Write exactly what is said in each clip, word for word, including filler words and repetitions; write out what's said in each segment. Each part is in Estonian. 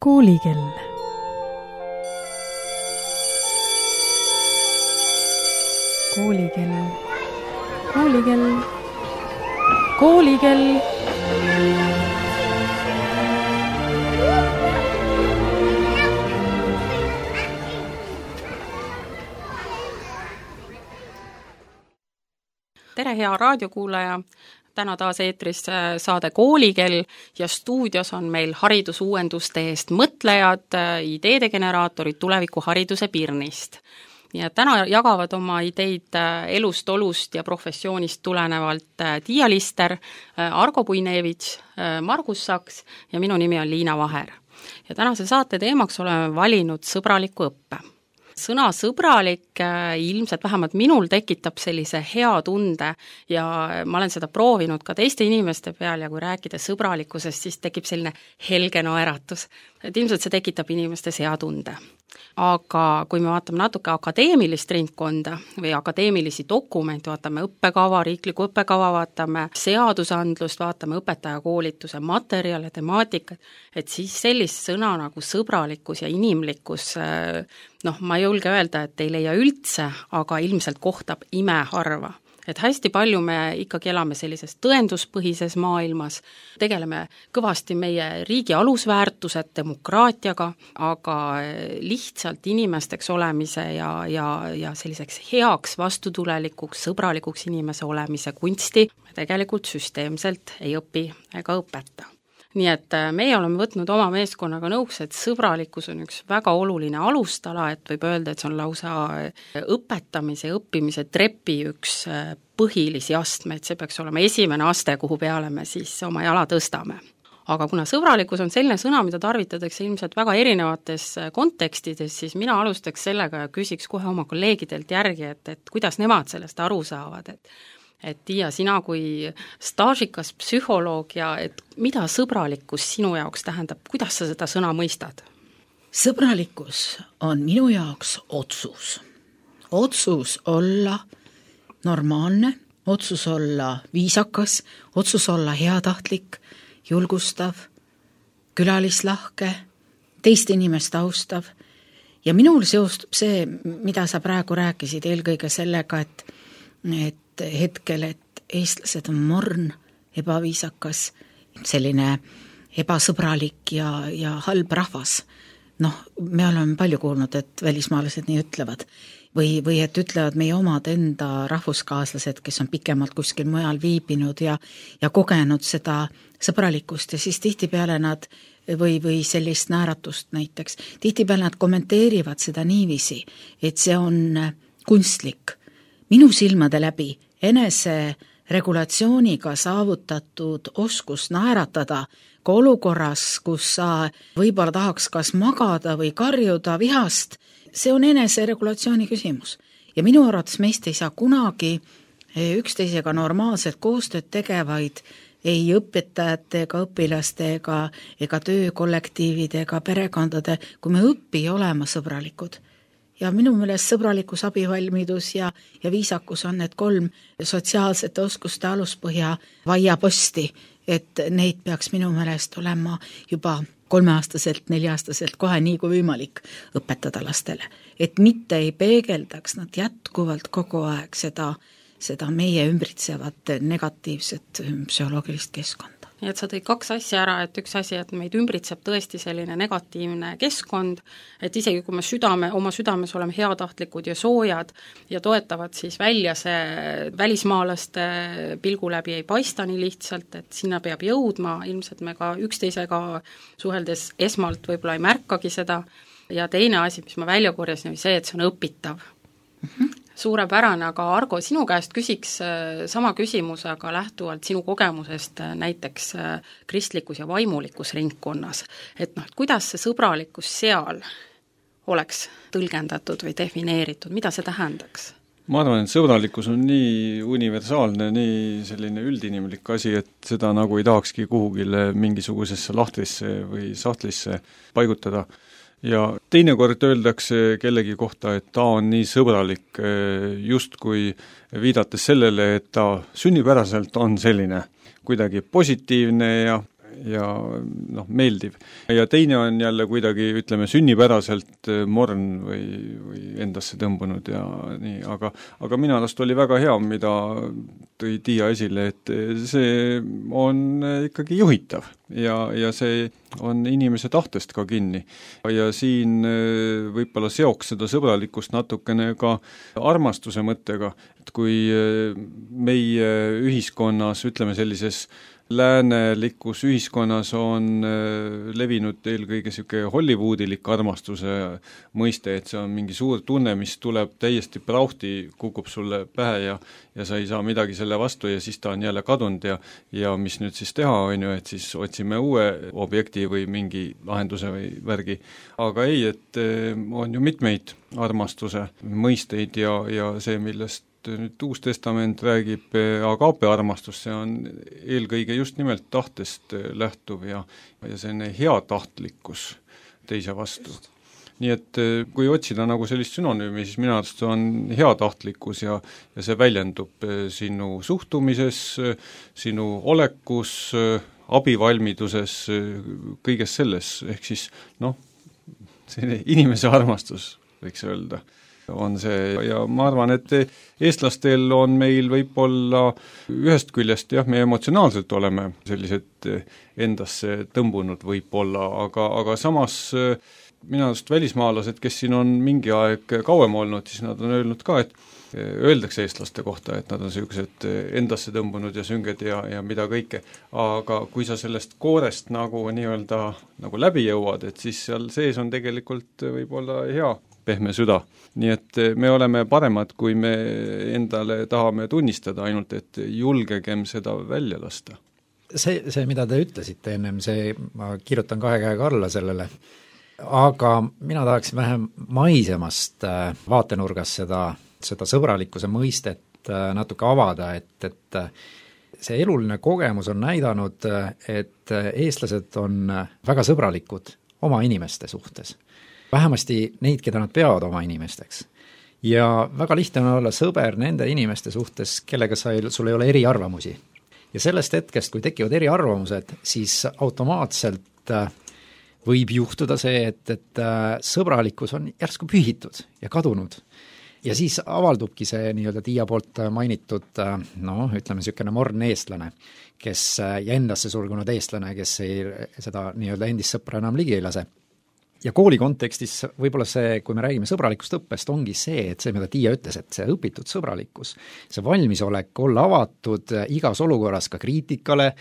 Koolikell. Koolikell. Koolikell. Koolikell. Tere, hea raadiokuulaja! Täna taas eetris saade Koolikell ja stuudios on meil haridusuuenduste eest mõtlejad, ideede generaatorid tulevikuhariduse Pirnist. Ja täna jagavad oma ideid elust, olust ja professioonist tulenevalt Tiia Lister, Argo Puinevits, Margus Saks ja minu nimi on Liina Vaher. Ja tänase saate teemaks oleme valinud sõbraliku õppe. Sõna sõbralik ilmselt vähemalt minul tekitab sellise hea tunde ja ma olen seda proovinud ka teiste inimeste peal ja kui rääkida sõbralikkusest, siis tekib selline helge naeratus. Et ilmselt see tekitab inimestes hea tunde. Aga kui me vaatame natuke akadeemilist ringkonda või akadeemilisi dokumente, vaatame õppekava, riikliku õppekava, vaatame seadusandlust, vaatame õpetajakoolituse materjale, temaatikat, et siis sellist sõna nagu sõbralikkus ja inimlikkus, noh, ma ei julge öelda, et ei leia üldse, aga ilmselt kohtab imeharva. Et hästi palju me ikkagi elame sellises tõenduspõhises maailmas, tegeleme kõvasti meie riigi alusväärtused demokraatiaga, aga lihtsalt inimesteks olemise ja, ja, ja selliseks heaks vastutulelikuks, sõbralikuks inimese olemise kunsti me tegelikult süsteemselt ei õpi ega õpeta. Nii et meie oleme võtnud oma meeskonnaga nõuks, et sõbralikkus on üks väga oluline alustala, et võib öelda, et see on lausa õpetamise ja õppimise trepi üks põhilisi astmeid, see peaks olema esimene aste, kuhu peale me siis oma jala tõstame. Aga kuna sõbralikkus on selline sõna, mida tarvitatakse ilmselt väga erinevates kontekstides, siis mina alustaks sellega ja küsiks kohe oma kolleegidelt järgi, et, et kuidas nemad sellest aru saavad, et Et Tiia, sina kui staažikas psühholoog ja et mida sõbralikkus sinu jaoks tähendab, kuidas sa seda sõna mõistad? Sõbralikkus on minu jaoks otsus. Otsus olla normaalne, otsus olla viisakas, otsus olla heatahtlik, julgustav, külalislahke, teist inimest austav. Ja minul seostub see, mida sa praegu rääkisid, eelkõige sellega, et, et hetkel, et eestlased on morn, ebaviisakas, selline ebasõbralik ja, ja halb rahvas. Noh, me oleme palju kuulnud, et välismaalased nii ütlevad. Või, või et ütlevad meie omad enda rahvuskaaslased, kes on pikemalt kuskil mujal viibinud ja, ja kogenud seda sõbralikkust ja siis tihtipeale nad või, või sellist nääratust näiteks. Tihtipeale nad kommenteerivad seda niiviisi, et see on kunstlik. Minu silmade läbi enese regulatsiooniga saavutatud oskus naeratada ka olukorras, kus sa võib-olla tahaks kas magada või karjuda vihast, see on enese regulatsiooni küsimus. Ja minu arvates meist ei saa kunagi üksteisega normaalselt koostööd tegevaid ei õpetajate ega õpilaste ega, ega töökollektiivide ega perekondade, kui me õpi olema sõbralikud. Ja minu meelest sõbralikkus, abivalmidus ja, ja viisakus on need kolm sotsiaalsete oskuste aluspõhja vaiaposti, et neid peaks minu meelest olema juba kolmeaastaselt, neljaaastaselt kohe nii kui võimalik õpetada lastele. Et mitte ei peegeldaks nad jätkuvalt kogu aeg seda, seda meie ümbritsevat negatiivset psühholoogilist keskkonda. Nii et sa tõid kaks asja ära, et üks asi, et meid ümbritseb tõesti selline negatiivne keskkond, et isegi kui me südame, oma südames oleme heatahtlikud ja soojad ja toetavad, siis välja see välismaalaste pilgu läbi ei paista nii lihtsalt, et sinna peab jõudma, ilmselt me ka üksteisega suheldes esmalt võib-olla ei märkagi seda ja teine asi, mis ma välja korjasin, oli see, et see on õpitav. Mm-hmm. Suurepärane, aga Argo, sinu käest küsiks sama küsimuse, aga lähtuvalt sinu kogemusest näiteks kristlikus ja vaimulikus ringkonnas, et noh, et kuidas see sõbralikkus seal oleks tõlgendatud või defineeritud, mida see tähendaks? Ma arvan, et sõbralikkus on nii universaalne, nii selline üldinimlik asi, et seda nagu ei tahakski kuhugile mingisugusesse lahtrisse või sahtlisse paigutada. Ja teinekord öeldakse kellegi kohta, et ta on nii sõbralik, justkui viidates sellele, et ta sünnipäraselt on selline kuidagi positiivne ja, ja noh, meeldiv. Ja teine on jälle kuidagi, ütleme, sünnipäraselt morn või, või endasse tõmbunud ja nii, aga, aga minu arust oli väga hea, mida tõi Tiia esile, et see on ikkagi juhitav ja, ja see on inimese tahtest ka kinni. Ja siin võib-olla seoks seda sõbralikkust natukene ka armastuse mõttega, et kui meie ühiskonnas, ütleme sellises läänelikus ühiskonnas on levinud eelkõige niisugune hollywoodilik armastuse mõiste, et see on mingi suur tunne, mis tuleb täiesti prauhti, kukub sulle pähe ja, ja sa ei saa midagi selle vastu ja siis ta on jälle kadunud ja, ja mis nüüd siis teha, on ju, et siis otsime uue objekti või mingi lahenduse või värgi. Aga ei, et on ju mitmeid armastuse mõisteid ja, ja see, millest nüüd Uus Testament räägib agaape armastus, see on eelkõige just nimelt tahtest lähtuv ja, ja selline heatahtlikkus teise vastu. Nii et kui otsida nagu sellist sünonüümi, siis minu arust on heatahtlikkus ja, ja see väljendub sinu suhtumises, sinu olekus, abivalmiduses, kõiges selles, ehk siis noh, selline inimese armastus, võiks öelda, on see ja ma arvan, et eestlastel on meil võib-olla ühest küljest jah, me emotsionaalselt oleme sellised endasse tõmbunud võib-olla, aga, aga samas minu arust välismaalased, kes siin on mingi aeg kauem olnud, siis nad on öelnud ka, et öeldakse eestlaste kohta, et nad on sellised endasse tõmbunud ja sünged ja, ja mida kõike, aga kui sa sellest koorest nagu nii-öelda nagu läbi jõuad, et siis seal sees on tegelikult võib-olla hea pehme süda. Nii et me oleme paremad, kui me endale tahame tunnistada, ainult et julgegem seda välja lasta. See, see mida te ütlesite ennem, see, ma kirjutan kahe käega alla sellele, aga mina tahaksin vähem maisemast vaatenurgast seda, seda sõbralikkuse mõistet natuke avada, et, et see eluline kogemus on näidanud, et eestlased on väga sõbralikud oma inimeste suhtes. Vähemasti neid, keda nad peavad oma inimesteks. Ja väga lihtne on olla sõber nende inimeste suhtes, kellega sa ei, sul ei ole eriarvamusi. Ja sellest hetkest, kui tekivad eriarvamused, siis automaatselt võib juhtuda see, et, et sõbralikkus on järsku pühitud ja kadunud. Ja siis avaldubki see nii-öelda Tiia poolt mainitud, no ütleme niisugune morn eestlane, kes ja endasse sulgunud eestlane, kes ei, seda nii-öelda endist sõpra enam ligi ei lase. Ja kooli kontekstis võib-olla see, kui me räägime sõbralikust õppest, ongi see, et see, mida Tiia ütles, et see õpitud sõbralikkus, see valmisolek olla avatud igas olukorras ka kriitikale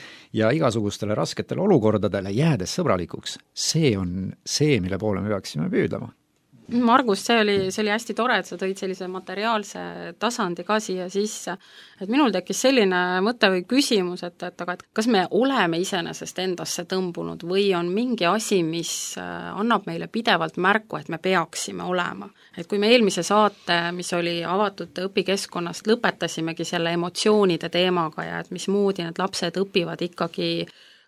ja igasugustele rasketele olukordadele jäädes sõbralikuks, see on see, mille poole me peaksime püüdlema. Margus, see oli, see oli hästi tore, et sa tõid sellise materiaalse tasandi ka siia sisse, et minul tekkis selline mõte või küsimus, et, et aga et kas me oleme iseenesest endasse tõmbunud või on mingi asi, mis annab meile pidevalt märku, et me peaksime olema. Et kui me eelmise saate, mis oli avatud õpikeskkonnast, lõpetasimegi selle emotsioonide teemaga ja et mismoodi need lapsed õpivad ikkagi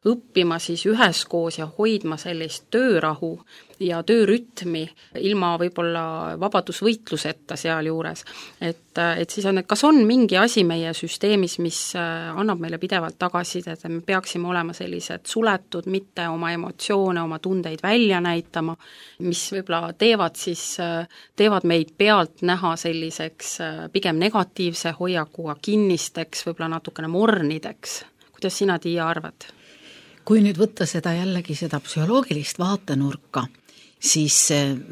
õppima siis üheskoos ja hoidma sellist töörahu ja töörütmi ilma võib-olla vabadusvõitluseta sealjuures. Et, et siis on, et kas on mingi asi meie süsteemis, mis annab meile pidevalt tagasisidet, et me peaksime olema sellised suletud, mitte oma emotsioone, oma tundeid välja näitama, mis võib-olla teevad siis, teevad meid pealt näha selliseks pigem negatiivse hoiakuga kinnisteks, võib-olla natukene mornideks. Kuidas sina, Tiia, arvad? Kui nüüd võtta seda jällegi seda psühholoogilist vaatenurka, siis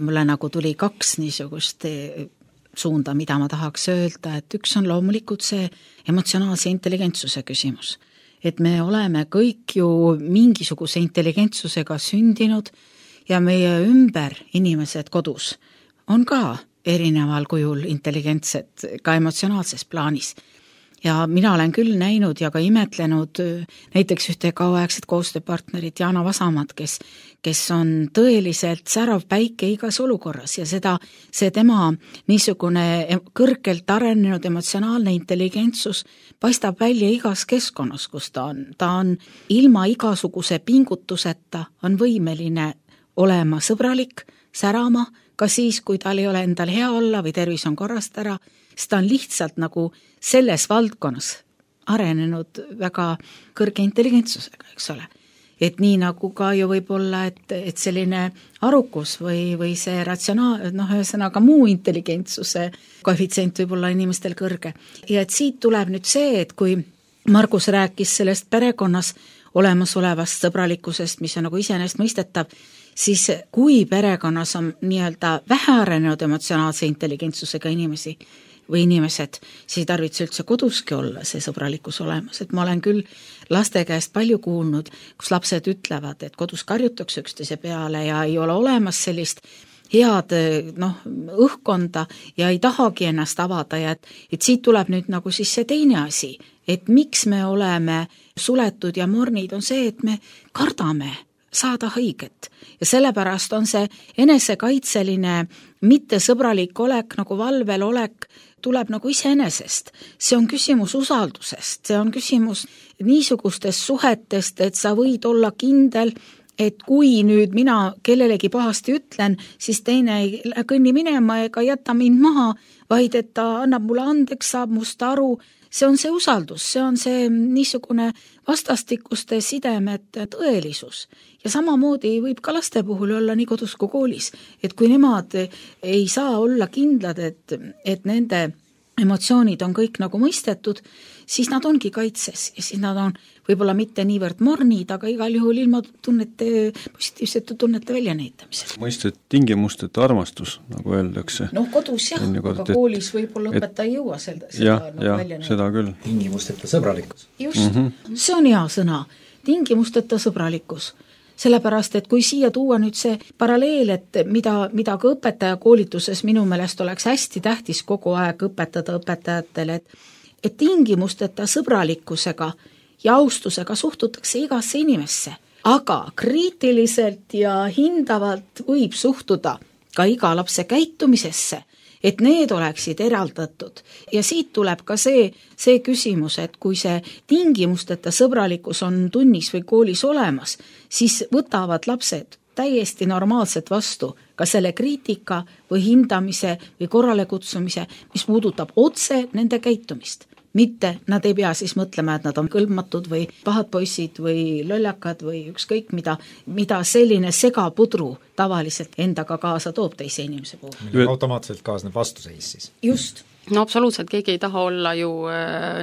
mulle nagu tuli kaks niisugust suunda, mida ma tahaks öelda, et üks on loomulikult see emotsionaalse intelligentsuse küsimus. Et me oleme kõik ju mingisuguse intelligentsusega sündinud ja meie ümber inimesed kodus on ka erineval kujul intelligentsed ka emotsionaalses plaanis. Ja mina olen küll näinud ja ka imetlenud näiteks ühte kauaaegset koostööpartnerit Jaana Vasamat, kes, kes on tõeliselt särav päike igas olukorras ja seda, see tema niisugune kõrgelt arenenud emotsionaalne intelligentsus paistab välja igas keskkonnas, kus ta on. Ta on ilma igasuguse pingutuseta on võimeline olema sõbralik, särama, ka siis, kui tal ei ole endal hea olla või tervis on korrast ära, siis ta on lihtsalt nagu selles valdkonnas arenenud väga kõrge intelligentsusega, eks ole. et nii nagu ka ju võib olla, et, et selline arukus või, või see ratsionaal, noh, ühesõnaga muu intelligentsuse koefitsient võib olla inimestel kõrge. Ja et siit tuleb nüüd see, et kui Margus rääkis sellest perekonnas olemasolevast sõbralikkusest, mis on nagu iseenesestmõistetav, siis kui perekonnas on nii-öelda vähearenenud emotsionaalse intelligentsusega inimesi või inimesed, siis ei tarvitse üldse koduski olla see sõbralikkus olemas, et ma olen küll laste käest palju kuulnud, kus lapsed ütlevad, et kodus karjutakse üksteise peale ja ei ole olemas sellist head noh, õhkkonda ja ei tahagi ennast avada ja et, et siit tuleb nüüd nagu siis see teine asi, et miks me oleme suletud ja mornid on see, et me kardame saada haiget ja sellepärast on see enesekaitseline mittesõbralik olek, nagu valvel olek, tuleb nagu iseenesest. See on küsimus usaldusest, see on küsimus niisugustest suhetest, et sa võid olla kindel, et kui nüüd mina kellelegi pahasti ütlen, siis teine ei kõnni minema ega jäta mind maha, vaid et ta annab mulle andeks, saab must aru. See on see usaldus, see on see niisugune vastastikuste sidemed tõelisus. Ja samamoodi võib ka laste puhul olla nii kodus kui koolis, et kui nemad ei saa olla kindlad, et, et nende emotsioonid on kõik nagu mõistetud, siis nad ongi kaitses ja siis nad on võib-olla mitte niivõrd mornid, aga igal juhul ilma tunnete, positiivsete tunnete väljanäitamisel. Mõistet tingimusteta armastus, nagu öeldakse. Noh, kodus jah, aga et, koolis võib-olla õpetaja ei jõua seda, seda jah, nagu jah, välja seda küll. Tingimusteta sõbralikkus. Just, mm -hmm. see on hea sõna, tingimusteta sõbralikkus. Sellepärast, et kui siia tuua nüüd see paralleel, et mida, mida ka õpetaja koolituses minu meelest oleks hästi tähtis kogu aeg õpetada õpetajatele, et, et tingimusteta sõbralikkusega ja austusega suhtutakse igasse inimesse, aga kriitiliselt ja hindavalt võib suhtuda ka iga lapse käitumisesse, et need oleksid eraldatud. Ja siit tuleb ka see, see küsimus, et kui see tingimusteta sõbralikkus on tunnis või koolis olemas, siis võtavad lapsed täiesti normaalselt vastu ka selle kriitika või hindamise või korralekutsumise, mis puudutab otse nende käitumist. Mitte nad ei pea siis mõtlema, et nad on kõlbmatud või pahad poisid või lollakad või ükskõik mida, mida selline segapudru tavaliselt endaga kaasa toob teise inimese puhul. Automaatselt kaasneb vastuseis siis. Just. No absoluutselt, keegi ei taha olla ju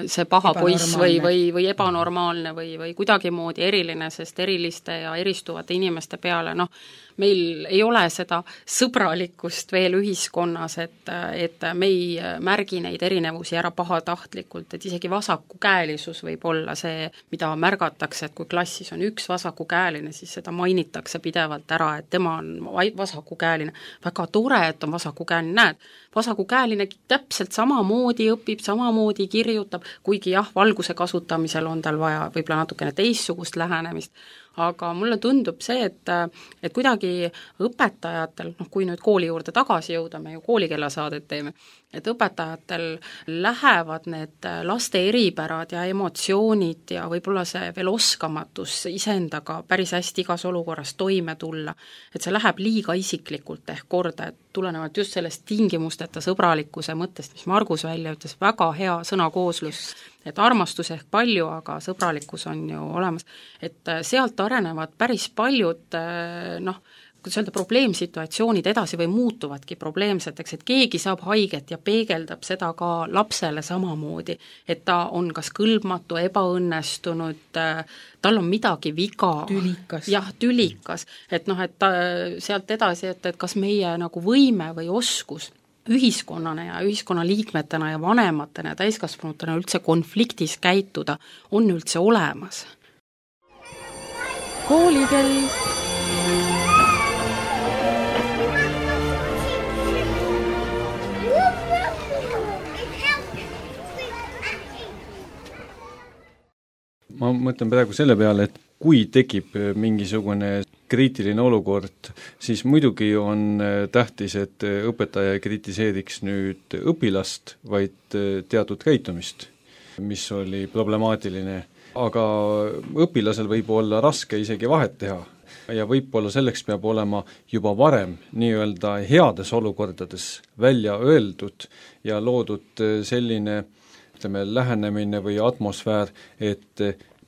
see paha poiss või, või, või ebanormaalne või, või kuidagimoodi eriline, sest eriliste ja eristuvate inimeste peale, noh, meil ei ole seda sõbralikkust veel ühiskonnas, et, et me ei märgi neid erinevusi ära pahatahtlikult, et isegi vasakukäelisus võib olla see, mida märgatakse, et kui klassis on üks vasakukäeline, siis seda mainitakse pidevalt ära, et tema on vasakukäeline. Väga tore, et on vasakukäeline, näed, vasakukäeline täpselt samamoodi õpib, samamoodi kirjutab, kuigi jah, valguse kasutamisel on tal vaja võib-olla natukene teistsugust lähenemist, aga mulle tundub see, et, et kuidagi õpetajatel, noh kui nüüd kooli juurde tagasi jõuda, me ju koolikella-saadet teeme, et õpetajatel lähevad need laste eripärad ja emotsioonid ja võib-olla see veel oskamatus iseendaga päris hästi igas olukorras toime tulla, et see läheb liiga isiklikult ehk korda, et tulenevalt just sellest tingimusteta sõbralikkuse mõttest, mis Margus välja ütles, väga hea sõnakooslus, et armastus ehk palju, aga sõbralikkus on ju olemas, et sealt arenevad päris paljud noh, kuidas öelda, probleemsituatsioonid edasi või muutuvadki probleemseteks, et keegi saab haiget ja peegeldab seda ka lapsele samamoodi, et ta on kas kõlbmatu, ebaõnnestunud, tal on midagi viga. Tülikas. Jah, tülikas, et noh, et ta, sealt edasi, et, et kas meie nagu võime või oskus ühiskonnana ja ühiskonnaliikmetena ja vanematena ja täiskasvanutena üldse konfliktis käituda on üldse olemas. Koolikell. Ma mõtlen praegu selle peale, et kui tekib mingisugune kriitiline olukord, siis muidugi on tähtis, et õpetaja ei kritiseeriks nüüd õpilast, vaid teatud käitumist, mis oli problemaatiline. Aga õpilasel võib olla raske isegi vahet teha ja võib-olla selleks peab olema juba varem nii-öelda heades olukordades välja öeldud ja loodud selline ütleme, lähenemine või atmosfäär, et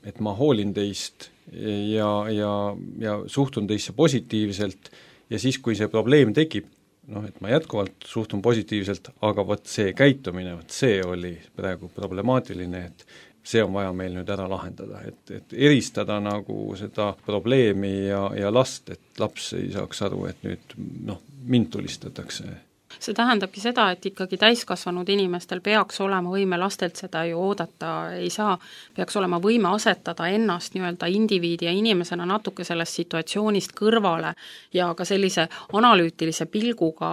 et ma hoolin teist ja, ja, ja suhtun teisse positiivselt ja siis, kui see probleem tekib, noh, et ma jätkuvalt suhtun positiivselt, aga vot see käitumine, vot see oli praegu problemaatiline, et see on vaja meil nüüd ära lahendada, et, et eristada nagu seda probleemi ja, ja last, et laps ei saaks aru, et nüüd noh, mind tulistatakse. See tähendabki seda, et ikkagi täiskasvanud inimestel peaks olema võime, lastelt seda ju oodata ei saa, peaks olema võime asetada ennast nii-öelda indiviidi ja inimesena natuke sellest situatsioonist kõrvale ja ka sellise analüütilise pilguga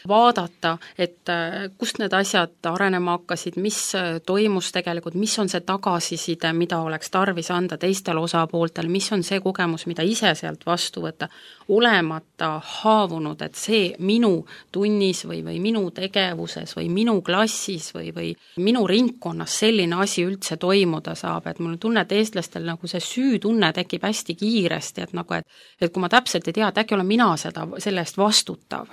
vaadata, et kust need asjad arenema hakkasid, mis toimus tegelikult, mis on see tagasiside, mida oleks tarvis anda teistel osapooltel, mis on see kogemus, mida ise sealt vastu võtta, olemata haavunud, et see minu tunnis või, või minu tegevuses või minu klassis või, või minu ringkonnas selline asi üldse toimuda saab, et mul on tunne, et eestlastel nagu see süütunne tekib hästi kiiresti, et nagu, et, et kui ma täpselt ei tea, et äkki olen mina seda, selle eest vastutav.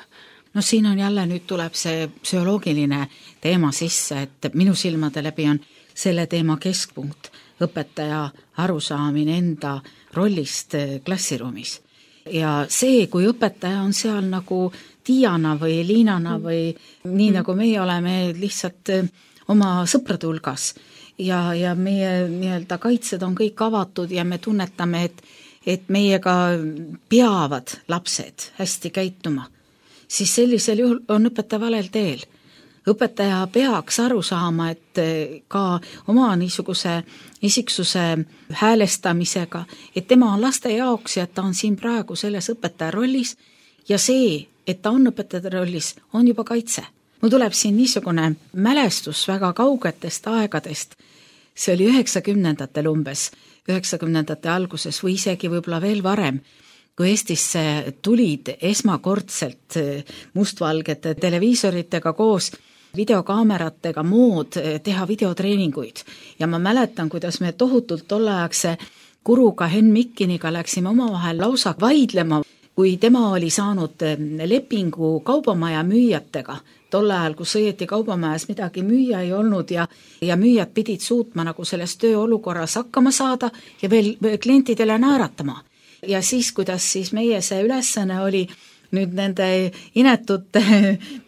No siin on jälle, nüüd tuleb see psühholoogiline teema sisse, et minu silmade läbi on selle teema keskpunkt, õpetaja arusaamine enda rollist klassiruumis. Ja see, kui õpetaja on seal nagu Tiiana või Liinana või nii, nagu meie oleme lihtsalt oma sõprade hulgas ja, ja meie nii-öelda kaitsed on kõik avatud ja me tunnetame, et, et meiega peavad lapsed hästi käituma, siis sellisel juhul on õpetaja valel teel. Õpetaja peaks aru saama, et ka oma niisuguse isiksuse häälestamisega, et tema on laste jaoks ja et ta on siin praegu selles õpetaja rollis ja see, et ta on õpetaja rollis, on juba kaitse. Mul tuleb siin niisugune mälestus väga kaugetest aegadest, see oli üheksakümnendatel umbes, üheksakümnendate alguses või isegi võib-olla veel varem, kui Eestisse tulid esmakordselt mustvalgete televiisoritega koos videokaameratega mood teha videotreeninguid ja ma mäletan, kuidas me tohutult tolleaegse Kuruga Henn Mikkiniga läksime omavahel lausa vaidlema, kui tema oli saanud lepingu kaubamaja müüjatega, tol ajal, kus õieti kaubamajas midagi müüa ei olnud ja, ja müüjad pidid suutma nagu selles tööolukorras hakkama saada ja veel klientidele naeratama. Ja siis, kuidas siis meie see ülesanne oli nüüd nende inetute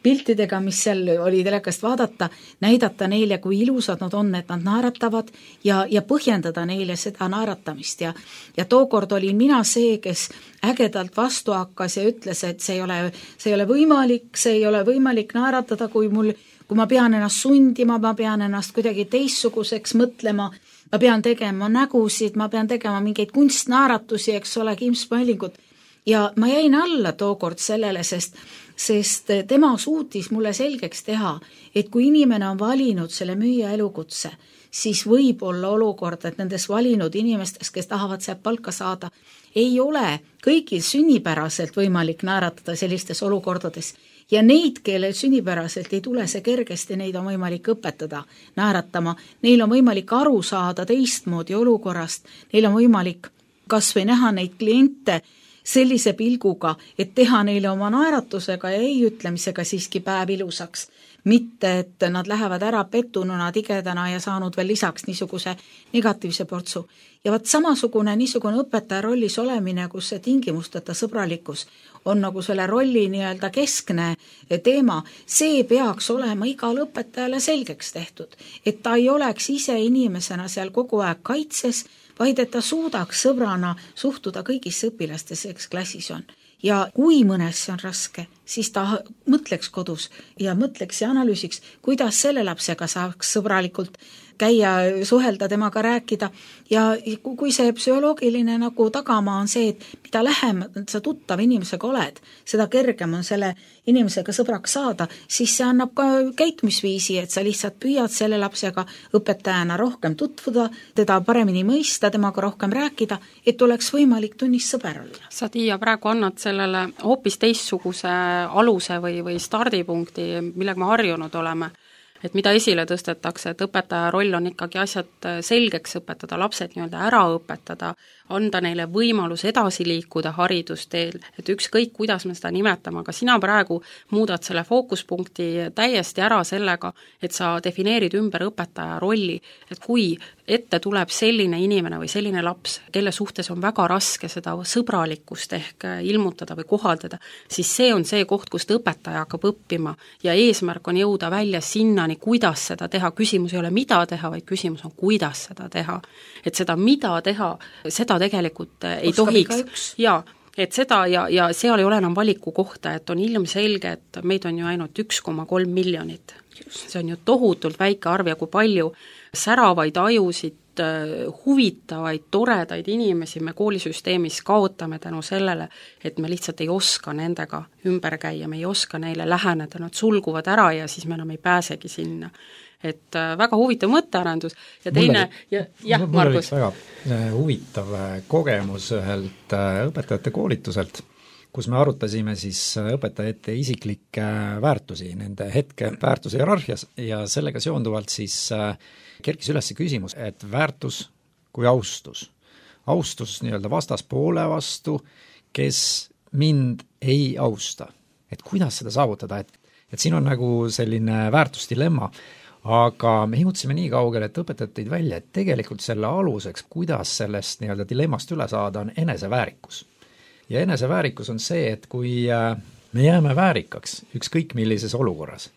piltidega, mis seal oli telekast vaadata, näidata neile, kui ilusad nad on, et nad naeratavad ja, ja põhjendada neile seda naeratamist. Ja, ja tookord olin mina see, kes ägedalt vastu hakkas ja ütles, et see ei ole, see ei ole võimalik, see ei ole võimalik naeratada, kui mul, kui ma pean ennast sundima, ma pean ennast kuidagi teistsuguseks mõtlema, ma pean tegema nägusid, ma pean tegema mingeid kunstnaaratusi, eks ole, kimsmõelingut. Ja ma jäin alla tookord sellele, sest, sest tema suutis mulle selgeks teha, et kui inimene on valinud selle müüja elukutse, siis võib olla olukord, et nendes valinud inimestes, kes tahavad sealt palka saada, ei ole kõigil sünnipäraselt võimalik naeratada sellistes olukordades. Ja neid, kelle sünnipäraselt ei tule see kergesti, neid on võimalik õpetada naeratama, neil on võimalik aru saada teistmoodi olukorrast, neil on võimalik kas või näha neid kliente sellise pilguga, et teha neile oma naeratusega ja ei ütlemisega siiski päev ilusaks. Mitte, et nad lähevad ära pettununa, tigedana ja saanud veel lisaks niisuguse negatiivse portsu. Ja vaat samasugune niisugune õpetaja rollis olemine, kus see tingimusteta sõbralikkus on nagu selle rolli nii-öelda keskne teema, see peaks olema igal õpetajale selgeks tehtud, et ta ei oleks ise inimesena seal kogu aeg kaitses, vaid et ta suudaks sõbrana suhtuda kõigisse õpilastesse, kes klassis on. Ja kui mõnes see on raske, siis ta mõtleks kodus ja mõtleks ja analüüsiks, kuidas selle lapsega saaks sõbralikult käia, suhelda, temaga rääkida ja kui see psühholoogiline nagu tagamaa on see, et mida lähem sa tuttav inimesega oled, seda kergem on selle inimesega sõbraks saada, siis see annab ka käitumisviisi, et sa lihtsalt püüad selle lapsega õpetajana rohkem tutvuda, teda paremini mõista, temaga rohkem rääkida, et oleks võimalik tunnis sõber olla. Sa, Tiia, praegu annad sellele hoopis teistsuguse aluse või, või stardipunkti, millega me harjunud oleme. Et mida esile tõstetakse, et õpetaja roll on ikkagi asjad selgeks õpetada, lapsed nii-öelda ära õpetada, anda neile võimalus edasi liikuda haridusteel, et ükskõik, kuidas me seda nimetame, aga sina praegu muudad selle fookuspunkti täiesti ära sellega, et sa defineerid ümber õpetaja rolli, et kui ette tuleb selline inimene või selline laps, kelle suhtes on väga raske seda sõbralikkust ehk ilmutada või kohaldada, siis see on see koht, kust õpetaja hakkab õppima ja eesmärk on jõuda välja sinnani, kuidas seda teha. Küsimus ei ole, mida teha, vaid küsimus on, kuidas seda teha. Et seda, mida teha, seda tegelikult ei Oskab tohiks. Jaa, et seda ja, ja seal ei ole enam valiku kohta, et on ilmselge, et meid on ju ainult üks koma kolm miljonit. See on ju tohutult väike arv ja kui palju säravaid ajusid, huvitavaid, toredaid inimesi me koolisüsteemis kaotame tänu sellele, et me lihtsalt ei oska nendega ümber käia, me ei oska neile läheneda, nad sulguvad ära ja siis me enam ei pääsegi sinna. Et väga huvitav mõttearendus ja teine, ja, jah, Margus. Mul oli väga huvitav kogemus ühelt õpetajate koolituselt, kus me arutasime siis õpetajate isiklikke väärtusi, nende hetke väärtuse hierarhias ja sellega seonduvalt siis kerkis üles küsimus, et väärtus kui austus. Austus nii-öelda vastaspoole vastu, kes mind ei austa. Et kuidas seda saavutada, et, et siin on nagu selline väärtusdilemma, aga me jõudsime nii kaugele, et õpetajad tõid välja, et tegelikult selle aluseks, kuidas sellest nii-öelda dilemmast üle saada, on eneseväärikus. Ja eneseväärikus on see, et kui me jääme väärikaks ükskõik millises olukorras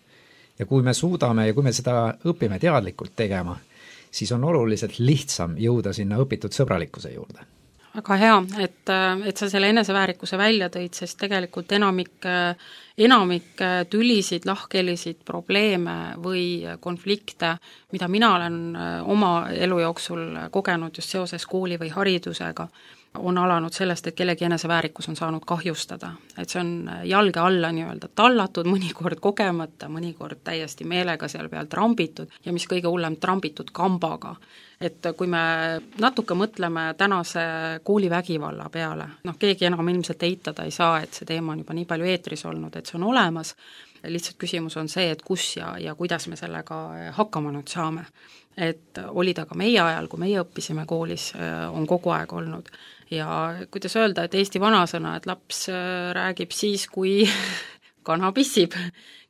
ja kui me suudame ja kui me seda õpime teadlikult tegema, siis on oluliselt lihtsam jõuda sinna õpitud sõbralikkuse juurde. Väga hea, et, et sa selle eneseväärikuse välja tõid, sest tegelikult enamik, enamik tülisid, lahkhelisid, probleeme või konflikte, mida mina olen oma elu jooksul kogenud just seoses kooli või haridusega, on alanud sellest, et kellegi eneseväärikus on saanud kahjustada. Et see on jalge alla nii-öelda tallatud, mõnikord kogemata, mõnikord täiesti meelega seal peal trambitud ja mis kõige hullem, trambitud kambaga. Et kui me natuke mõtleme tänase koolivägivalla peale, noh, keegi enam ilmselt eitada ei saa, et see teema on juba nii palju eetris olnud, et see on olemas, lihtsalt küsimus on see, et kus ja, ja kuidas me sellega hakkama nüüd saame. Et oli ta ka meie ajal, kui meie õppisime koolis, on kogu aeg olnud. Ja kuidas öelda, et Eesti vanasõna, et laps räägib siis, kui kana pissib.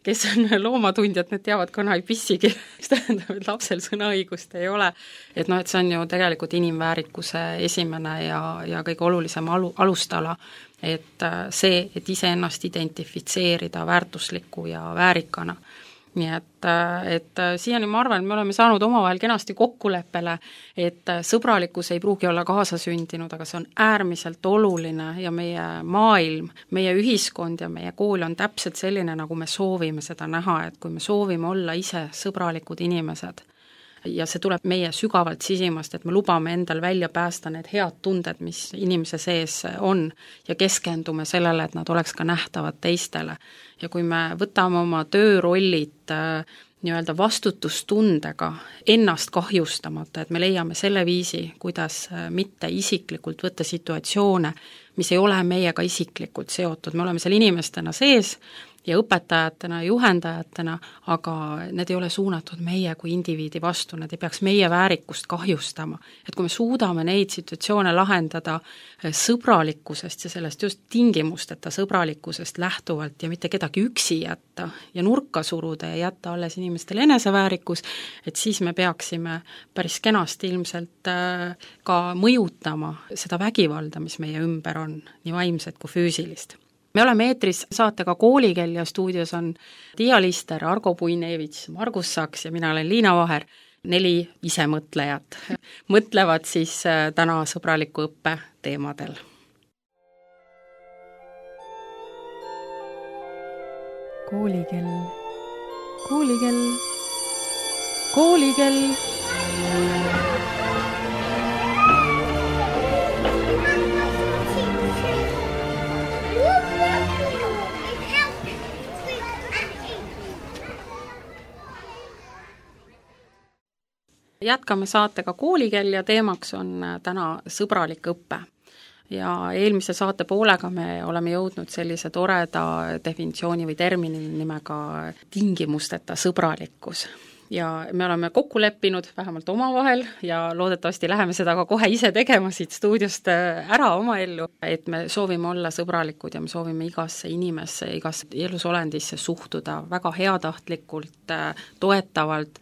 Kes on loomatundjad, need teavad, kana ei pissigi. See tähendab, et lapsel sõnaõigust ei ole. Et noh, et see on ju tegelikult inimväärikuse esimene ja, ja kõige olulisem alu, alustala, et see, et iseennast identifitseerida väärtusliku ja väärikana. Nii et, et siiani ma arvan, et me oleme saanud omavahel kenasti kokkuleppele, et sõbralikkus ei pruugi olla kaasasündinud, aga see on äärmiselt oluline ja meie maailm, meie ühiskond ja meie kool on täpselt selline, nagu me soovime seda näha, et kui me soovime olla ise sõbralikud inimesed ja see tuleb meie sügavalt sisimast, et me lubame endal välja päästa need head tunded, mis inimese sees on ja keskendume sellele, et nad oleks ka nähtavad teistele. Ja kui me võtame oma töörollid nii-öelda vastutustundega ennast kahjustamata, et me leiame selle viisi, kuidas mitte isiklikult võtta situatsioone, mis ei ole meiega isiklikult seotud, me oleme seal inimestena sees ja õpetajatena, juhendajatena, aga need ei ole suunatud meie kui indiviidi vastu, need ei peaks meie väärikust kahjustama. Et kui me suudame neid situatsioone lahendada sõbralikkusest ja sellest just tingimusteta sõbralikkusest lähtuvalt ja mitte kedagi üksi jätta ja nurka suruda ja jätta alles inimestele eneseväärikus, et siis me peaksime päris kenasti ilmselt ka mõjutama seda vägivalda, mis meie ümber on, nii vaimset kui füüsilist. Me oleme eetris saatega Koolikell ja stuudios on Tiia Lister, Argo Puinevits, Margus Saks ja mina olen Liina Vaher. Neli isemõtlejat mõtlevad siis täna sõbraliku õppe teemadel. Koolikell, koolikell, koolikell. Jätkame saatega Koolikell ja teemaks on täna sõbralik õppe. Ja eelmise saate poolega me oleme jõudnud sellise toreda definitsiooni või termini nimega tingimusteta sõbralikkus. ja me oleme kokku leppinud vähemalt omavahel ja loodetavasti läheme seda ka kohe ise tegema siit stuudiost ära oma ellu, et me soovime olla sõbralikud ja me soovime igasse inimesse, igasse elusolendisse suhtuda väga heatahtlikult, toetavalt,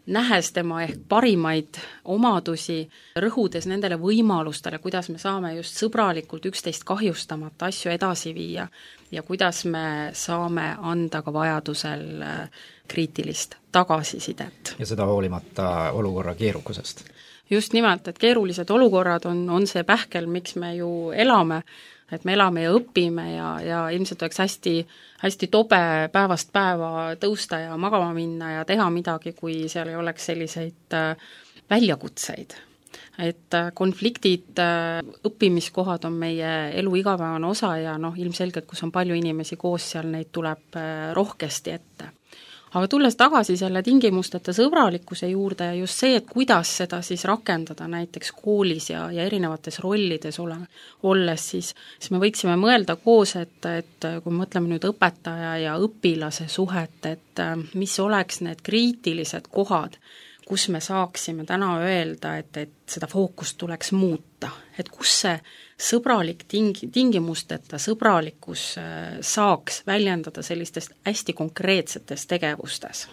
nähes tema ehk parimaid omadusi, rõhudes nendele võimalustele, kuidas me saame just sõbralikult üksteist kahjustamata asju edasi viia ja kuidas me saame anda ka vajadusel kriitilist tagasisidet. Ja seda hoolimata olukorra keerukusest. Just nimelt, et keerulised olukorrad on, on see pähkel, miks me ju elame, et me elame ja õpime ja, ja ilmselt oleks hästi, hästi tobe päevast päeva tõusta ja magama minna ja teha midagi, kui seal ei oleks selliseid väljakutseid. Et konfliktid, õppimiskohad on meie elu igapäevane osa ja noh, ilmselgelt, kus on palju inimesi koos, seal neid tuleb rohkesti ette. Aga tulles tagasi selle tingimusteta sõbralikkuse juurde ja just see, et kuidas seda siis rakendada näiteks koolis ja, ja erinevates rollides ole, olles, siis, siis me võiksime mõelda koos, et, et kui mõtleme nüüd õpetaja ja õpilase suhet, et mis oleks need kriitilised kohad, kus me saaksime täna öelda, et, et seda fookust tuleks muuta, et kus see sõbralik ting-, tingimusteta sõbralikkus saaks väljendada sellistest hästi konkreetsetes tegevustes?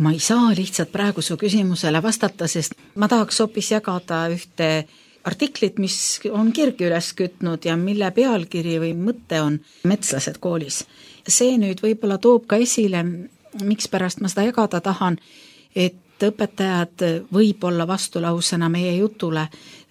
Ma ei saa lihtsalt praegu su küsimusele vastata, sest ma tahaks hoopis jagada ühte artiklit, mis on kirgi üles kütnud ja mille pealkiri või mõte on metslased koolis. See nüüd võib-olla toob ka esile, miks pärast ma seda jagada tahan, et õpetajad võib-olla vastulausena meie jutule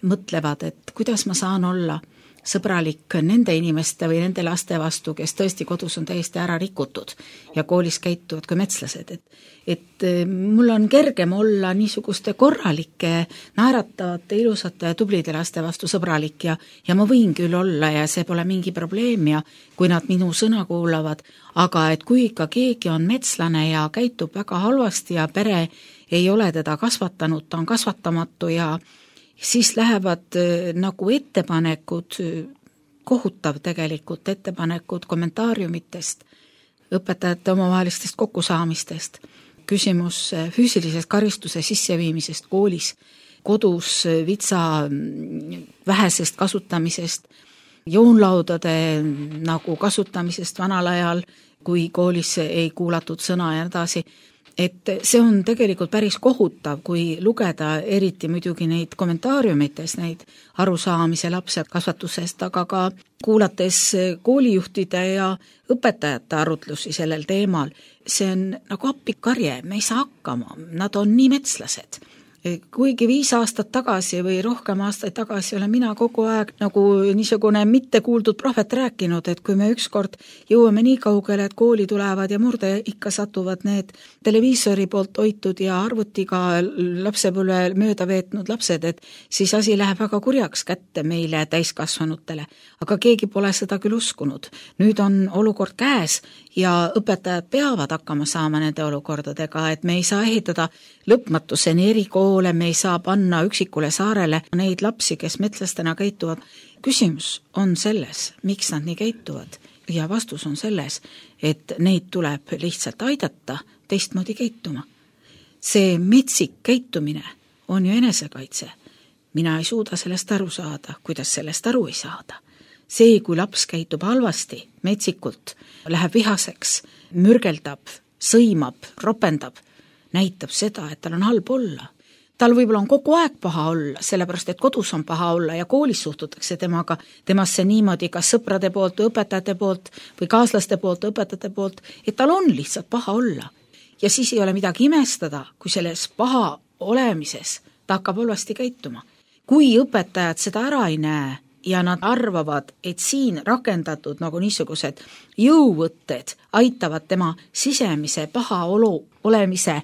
mõtlevad, et kuidas ma saan olla sõbralik nende inimeste või nende laste vastu, kes tõesti kodus on täiesti ära rikutud ja koolis käituvad kui metslased. Et, et mul on kergem olla niisuguste korralike, naeratavate, ilusate ja tublide laste vastu sõbralik ja, ja ma võin küll olla ja see pole mingi probleem ja kui nad minu sõna kuulavad, aga et kui ikka keegi on metslane ja käitub väga halvasti ja pere ei ole teda kasvatanud, ta on kasvatamatu ja siis lähevad nagu ettepanekud, kohutav tegelikult ettepanekud kommentaariumitest, õpetajate omavahelistest kokkusaamistest, küsimus füüsilisest karistuse sisseviimisest koolis, kodus vitsa vähesest kasutamisest, joonlaudade nagu kasutamisest vanal ajal, kui koolis ei kuulatud sõna ja edasi. Et see on tegelikult päris kohutav, kui lugeda eriti muidugi neid kommentaariumites, neid arusaamise lapse kasvatusest, aga ka kuulates koolijuhtide ja õpetajate arutlusi sellel teemal. See on nagu appikarje, me ei saa hakkama, nad on nii metslased. Kuigi viis aastat tagasi või rohkem aastaid tagasi olen mina kogu aeg nagu niisugune mitte kuuldud prohvet rääkinud, et kui me ükskord jõuame nii kaugele, et kooli tulevad ja murde ikka satuvad need televiisori poolt hoitud ja arvutiga lapsepõlve mööda veetnud lapsed, et siis asi läheb väga kurjaks kätte meile täiskasvanutele. Aga keegi pole seda küll uskunud. Nüüd on olukord käes ja õpetajad peavad hakkama saama nende olukordadega, et me ei saa ehitada lõpmatuseni erikoole, me ei saa panna üksikule saarele neid lapsi, kes metslastena käituvad. Küsimus on selles, miks nad nii käituvad ja vastus on selles, et neid tuleb lihtsalt aidata teistmoodi käituma. See metsik käitumine on ju enesekaitse. Mina ei suuda sellest aru saada, kuidas sellest aru ei saada. See, kui laps käitub halvasti, metsikult, läheb vihaseks, mürgeldab, sõimab, ropendab, näitab seda, et tal on halb olla. Tal võib-olla on kogu aeg paha olla, sellepärast et kodus on paha olla ja koolis suhtutakse temaga, temasse niimoodi kas sõprade poolt, õpetajate poolt või kaaslaste poolt, õpetajate poolt, et tal on lihtsalt paha olla. Ja siis ei ole midagi imestada, kui selles paha olemises ta hakkab halvasti käituma. Kui õpetajad seda ära ei näe ja nad arvavad, et siin rakendatud nagu niisugused jõuvõtted aitavad tema sisemise paha olu olemise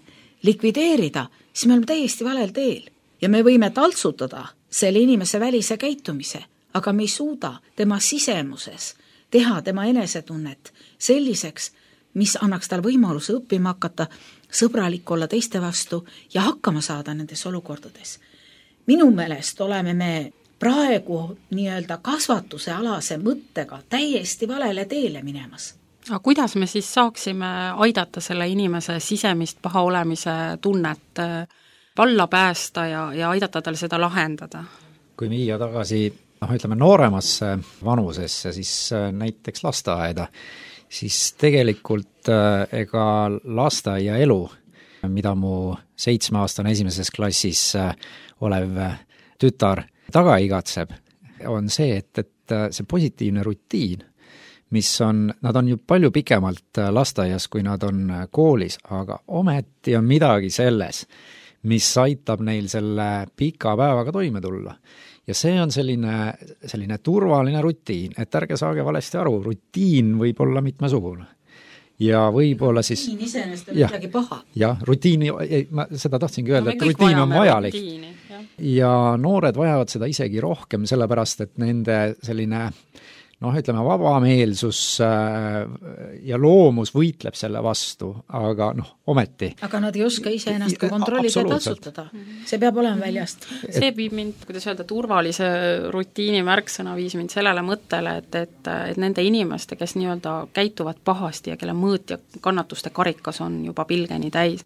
likvideerida, siis me oleme täiesti valel teel. Ja me võime taltsutada selle inimese välise käitumise, aga me ei suuda tema sisemuses teha tema enesetunnet selliseks, mis annaks tal võimaluse õppima hakata, sõbralik olla teiste vastu ja hakkama saada nendes olukordades. Minu meelest oleme me praegu nii-öelda kasvatuse alase mõttega täiesti valele teele minemas. aga kuidas me siis saaksime aidata selle inimese sisemist paha olemise tunnet valla päästa ja, ja aidata tal seda lahendada? Kui viia tagasi, noh, ütleme nooremasse vanusesse, siis näiteks lasteaeda, siis tegelikult ega lasteaia elu, mida mu seitsmeaastane esimeses klassis olev tütar taga igatseb, on see, et, et see positiivne rutiin, mis on, nad on ju palju pikemalt lasteaias, kui nad on koolis, aga ometi on midagi selles, mis aitab neil selle pika päevaga toime tulla. Ja see on selline, selline turvaline rutiin, et ärge saage valesti aru, rutiin võib olla mitmesugune. Ja võib-olla siis rutiin iseenesest on midagi paha. Jah, rutiini, ma seda tahtsingi öelda, no, et rutiin on vajalik. Rutiini, ja noored vajavad seda isegi rohkem, sellepärast, et nende selline noh, ütleme, vabameelsus ja loomus võitleb selle vastu, aga noh, ometi. Aga nad ei oska ise ennast ka kontrollida ja tasutada. See peab olema väljast. See viib mind, kuidas öelda, turvalise rutiini märksõna viis mind sellele mõttele, et, et, et nende inimeste, kes nii-öelda käituvad pahasti ja kelle mõõt ja kannatuste karikas on juba pilgeni täis,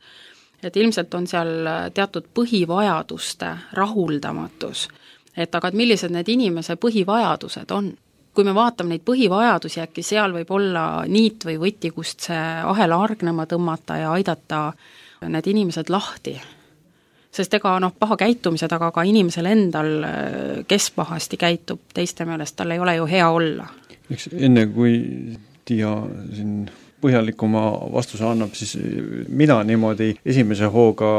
et ilmselt on seal teatud põhivajaduste rahuldamatus. Et aga et millised need inimese põhivajadused on? Kui me vaatame neid põhivajadusi, äkki seal võib olla niit või võti, kust see ahela argnema tõmmata ja aidata need inimesed lahti. Sest ega noh, paha käitumise taga ka inimesel endal, kes pahasti käitub, teiste meelest tal ei ole ju hea olla. Eks enne kui Tiia siin põhjalikuma vastuse annab, siis mina niimoodi esimese hooga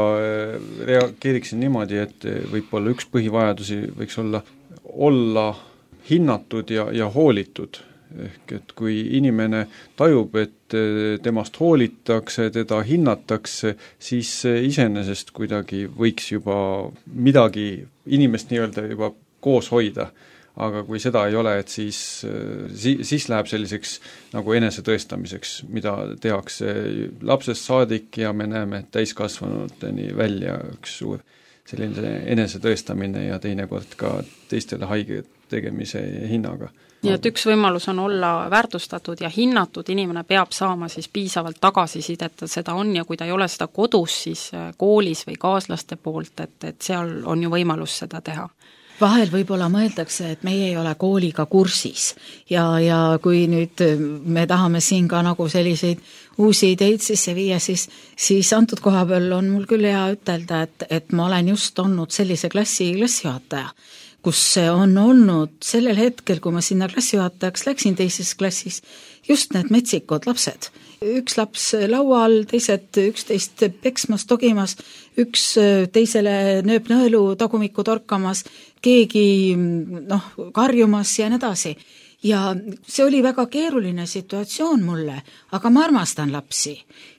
reageeriksin niimoodi, et võib-olla üks põhivajadusi võiks olla olla hinnatud ja, ja hoolitud. Ehk et kui inimene tajub, et temast hoolitakse, teda hinnatakse, siis iseenesest kuidagi võiks juba midagi inimest nii-öelda juba koos hoida. Aga kui seda ei ole, et siis, siis läheb selliseks nagu enesetõestamiseks, mida tehakse lapsest saadik ja me näeme täiskasvanuteni välja üks suur selline enesetõestamine ja teinekord ka teistele haiget tegemise hinnaga. Nii et üks võimalus on olla väärtustatud ja hinnatud, inimene peab saama siis piisavalt tagasisidet, et seda on ja kui ta ei ole seda kodus, siis koolis või kaaslaste poolt, et, et seal on ju võimalus seda teha. Vahel võib-olla mõeldakse, et meie ei ole kooliga kursis ja, ja kui nüüd me tahame siin ka nagu selliseid uusi ideid sisse viia, siis, siis antud koha peal on mul küll hea ütelda, et, et ma olen just olnud sellise klassi klassijuhataja, kus on olnud sellel hetkel, kui ma sinna klassijuhatajaks läksin teises klassis, just need metsikud lapsed. Üks laps laua all, teised üksteist peksmas, togimas, üks teisele nööb nõelu tagumikku torkamas, keegi noh, karjumas ja nii edasi. Ja see oli väga keeruline situatsioon mulle, aga ma armastan lapsi.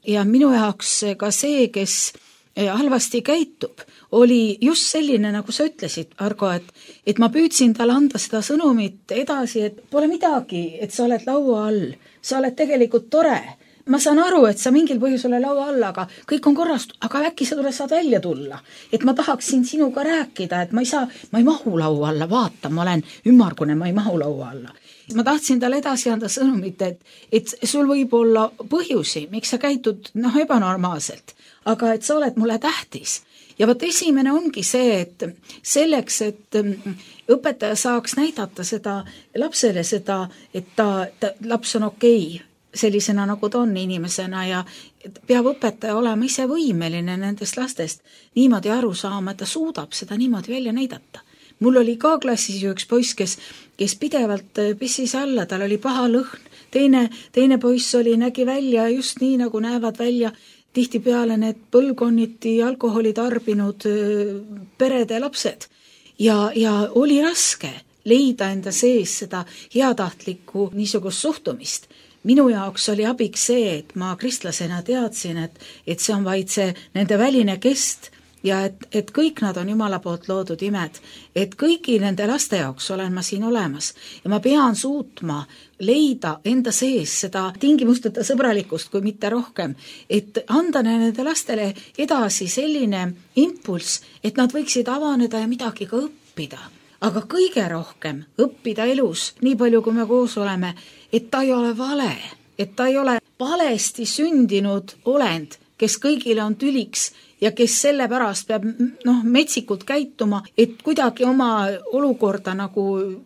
Ja minu jaoks ka see, kes halvasti käitub, oli just selline, nagu sa ütlesid, Argo, et, et ma püüdsin talle anda seda sõnumit edasi, et pole midagi, et sa oled laua all, sa oled tegelikult tore. Ma saan aru, et sa mingil põhjusel laua all, aga kõik on korrast, aga äkki sa tule saad välja tulla. Et ma tahaksin sinuga rääkida, et ma ei saa, ma ei mahu laua alla, vaata, ma olen ümmargune, ma ei mahu laua alla. Ma tahtsin talle edasi anda sõnumit, et, et sul võib olla põhjusi, miks sa käitud noh, ebanormaalselt, aga et sa oled mulle tähtis. Ja võt esimene ongi see, et selleks, et õpetaja saaks näidata seda lapsele seda, et ta, ta laps on okei, sellisena nagu ta on inimesena ja peab õpetaja olema ise võimeline nendest lastest niimoodi aru saama, et ta suudab seda niimoodi välja näidata. Mul oli ka klassis ju üks poiss, kes, kes pidevalt pissis alla, tal oli paha lõhn, teine, teine poiss oli, nägi välja just nii, nagu näevad välja tihtipeale need põlvkonniti alkoholi tarbinud perede lapsed. Ja, ja oli raske leida enda sees seda heatahtlikku niisugust suhtumist. Minu jaoks oli abiks see, et ma kristlasena teadsin, et, et see on vaid see nende väline kest ja et, et kõik nad on Jumala poolt loodud imed, et kõigi nende laste jaoks olen ma siin olemas ja ma pean suutma leida enda sees seda tingimusteta sõbralikkust, kui mitte rohkem, et anda nende lastele edasi selline impulss, et nad võiksid avaneda ja midagi ka õppida. Aga kõige rohkem õppida elus, nii palju kui me koos oleme, et ta ei ole vale, et ta ei ole valesti sündinud olend, kes kõigile on tüliks ja kes sellepärast peab noh, metsikult käituma, et kuidagi oma olukorda nagu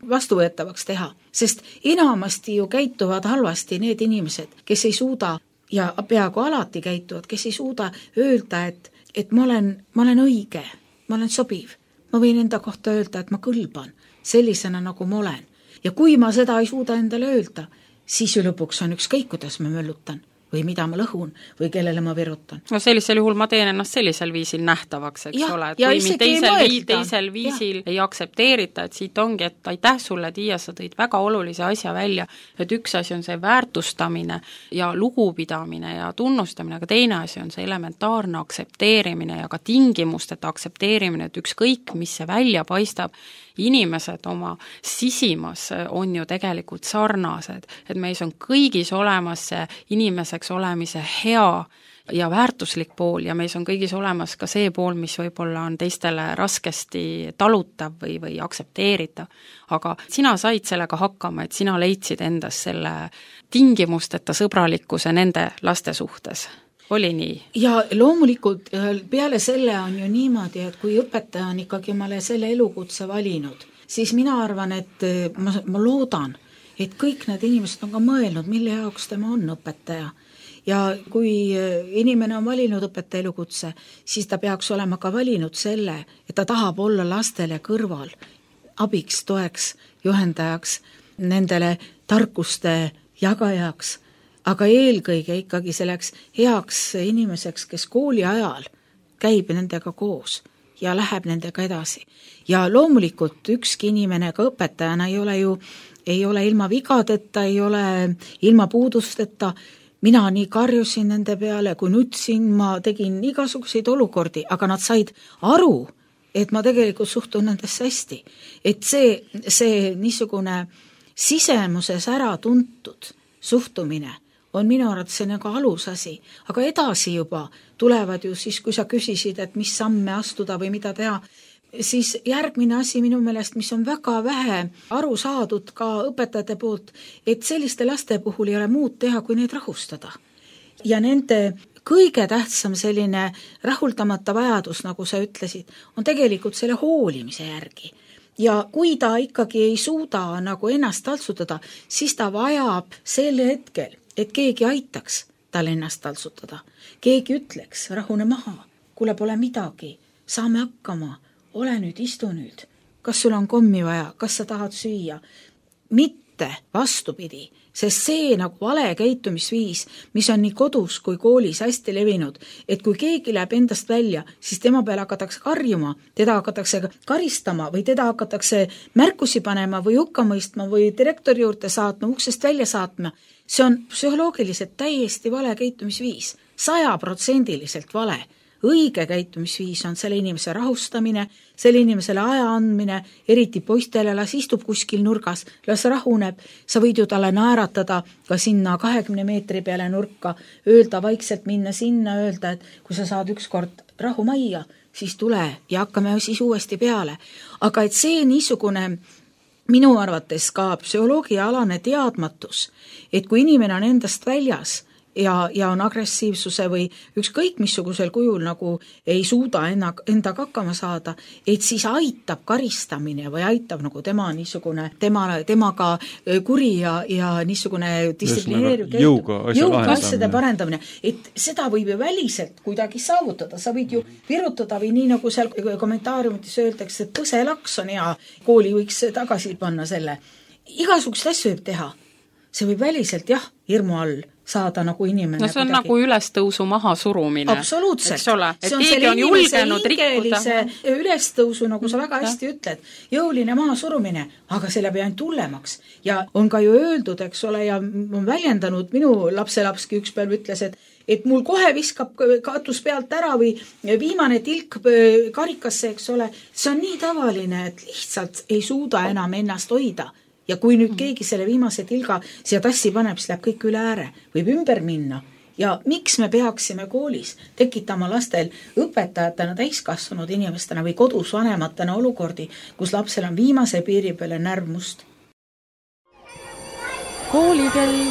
vastuvõetavaks teha. Sest enamasti ju käituvad halvasti need inimesed, kes ei suuda ja peaaegu alati käituvad, kes ei suuda öelda, et, et ma olen, ma olen õige, ma olen sobiv. Ma võin enda kohta öelda, et ma kõlban sellisena, nagu ma olen. Ja kui ma seda ei suuda endale öelda, siis ju lõpuks on ükskõik, kuidas ma möllutan või mida ma lõhun või kellele ma virutan. No sellisel juhul ma teen ennast sellisel viisil nähtavaks, eks ja, ole, et kui mind teisel, vii, teisel viisil ja. ei aksepteerita, et siit ongi, et aitäh sulle, Tiia, sa tõid väga olulise asja välja, et üks asi on see väärtustamine ja lugupidamine ja tunnustamine, aga teine asi on see elementaarne aksepteerimine ja ka tingimusteta aksepteerimine, et ükskõik, mis see välja paistab, inimesed oma sisimas on ju tegelikult sarnased, et meis on kõigis olemas see inimeseks olemise hea ja väärtuslik pool ja meis on kõigis olemas ka see pool, mis võib-olla on teistele raskesti talutav või, või aksepteeritav. Aga sina said sellega hakkama, et sina leidsid endas selle tingimusteta sõbralikkuse nende laste suhtes. Oli nii? Ja loomulikult peale selle on ju niimoodi, et kui õpetaja on ikkagi omale selle elukutse valinud, siis mina arvan, et ma, ma loodan, et kõik need inimesed on ka mõelnud, mille jaoks tema on õpetaja. Ja kui inimene on valinud õpetaja elukutse, siis ta peaks olema ka valinud selle, et ta tahab olla lastele kõrval, abiks, toeks, juhendajaks, nendele tarkuste jagajaks, aga eelkõige ikkagi selleks heaks inimeseks, kes kooli ajal käib nendega koos ja läheb nendega edasi. Ja loomulikult ükski inimene ka õpetajana ei ole ju, ei ole ilma vigadeta, ei ole ilma puudusteta. Mina nii karjusin nende peale, kui nutsin, ma tegin igasuguseid olukordi, aga nad said aru, et ma tegelikult suhtun nendesse hästi. Et see, see niisugune sisemuses ära tuntud suhtumine on minu arvates see nagu alusasi, aga edasi juba tulevad ju siis, kui sa küsisid, et mis samme astuda või mida teha, siis järgmine asi minu meelest, mis on väga vähe aru saadud ka õpetajate poolt, et selliste laste puhul ei ole muud teha, kui neid rahustada. Ja nende kõige tähtsam selline rahuldamata vajadus, nagu sa ütlesid, on tegelikult selle hoolimise järgi. Ja kui ta ikkagi ei suuda nagu ennast taltsutada, siis ta vajab sel hetkel, et keegi aitaks tal ennast taltsutada. Keegi ütleks, rahune maha, kuule pole midagi, saame hakkama, ole nüüd, istu nüüd, kas sul on kommi vaja, kas sa tahad süüa? Mitte vastupidi, sest see nagu vale käitumisviis, mis on nii kodus kui koolis hästi levinud, et kui keegi läheb endast välja, siis tema peale hakatakse karjuma, teda hakatakse karistama või teda hakatakse märkusi panema või hukka mõistma või direktori juurde saatma, uksest välja saatma. See on psühholoogiliselt täiesti vale käitumisviis, sajaprotsendiliselt vale. Õige käitumisviis on selle inimese rahustamine, selle inimesele aja andmine, eriti poistele, las istub kuskil nurgas, las rahuneb, sa võid ju talle naeratada ka sinna kahekümne meetri peale nurka, öelda vaikselt minna sinna, öelda, et kui sa saad ükskord rahu majja, siis tule ja hakkame siis uuesti peale. Aga et see niisugune minu arvates ka psühholoogiaalane teadmatus, et kui inimene on endast väljas, Ja, ja on agressiivsuse või ükskõik missugusel kujul nagu ei suuda enna, endaga hakkama saada, et siis aitab karistamine või aitab nagu tema niisugune, tema, temaga kuri ja, ja niisugune distsiplineeriv jõuga asjade parendamine. Et seda võib ju väliselt kuidagi saavutada, sa võid ju virutada või nii nagu seal kommentaariumites öeldakse, et põselaks on hea, kooli võiks tagasi panna selle. Igasugust asju võib teha. See võib väliselt, jah, hirmu all saada nagu inimene. No see on kuidagi nagu ülestõusu maha surumine. Absoluutselt. Eks ole, et keegi on julgenud rikkuda. Ülestõusu, nagu sa väga hästi ütled, jõuline maha surumine, aga selle peab ainult hullemaks. Ja on ka ju öeldud, eks ole, ja on väljendanud, minu lapselapski üks päev ütles, et et mul kohe viskab katus pealt ära või viimane tilk karikasse, eks ole, see on nii tavaline, et lihtsalt ei suuda enam ennast hoida. Ja kui nüüd keegi selle viimase tilga siia tassi paneb, siis läheb kõik üle ääre, võib ümber minna. Ja miks me peaksime koolis tekitama lastel õpetajatena, täiskasvanud inimestena või kodus vanematena olukordi, kus lapsel on viimase piiri peale närv must? Koolikell.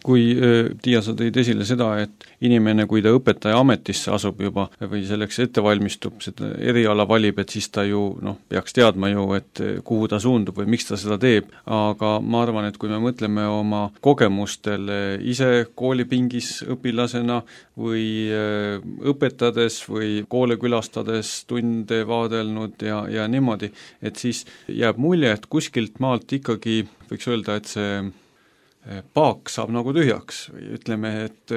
kui Tiia, sa tõid esile seda, et inimene, kui ta õpetaja ametisse asub juba või selleks ette valmistub, seda eriala valib, et siis ta ju noh, peaks teadma ju, et kuhu ta suundub või miks ta seda teeb, aga ma arvan, et kui me mõtleme oma kogemustele ise koolipingis õpilasena või õpetades või koole külastades tunde vaadelnud ja, ja niimoodi, et siis jääb mulje, et kuskilt maalt ikkagi võiks öelda, et see paak saab nagu tühjaks või ütleme, et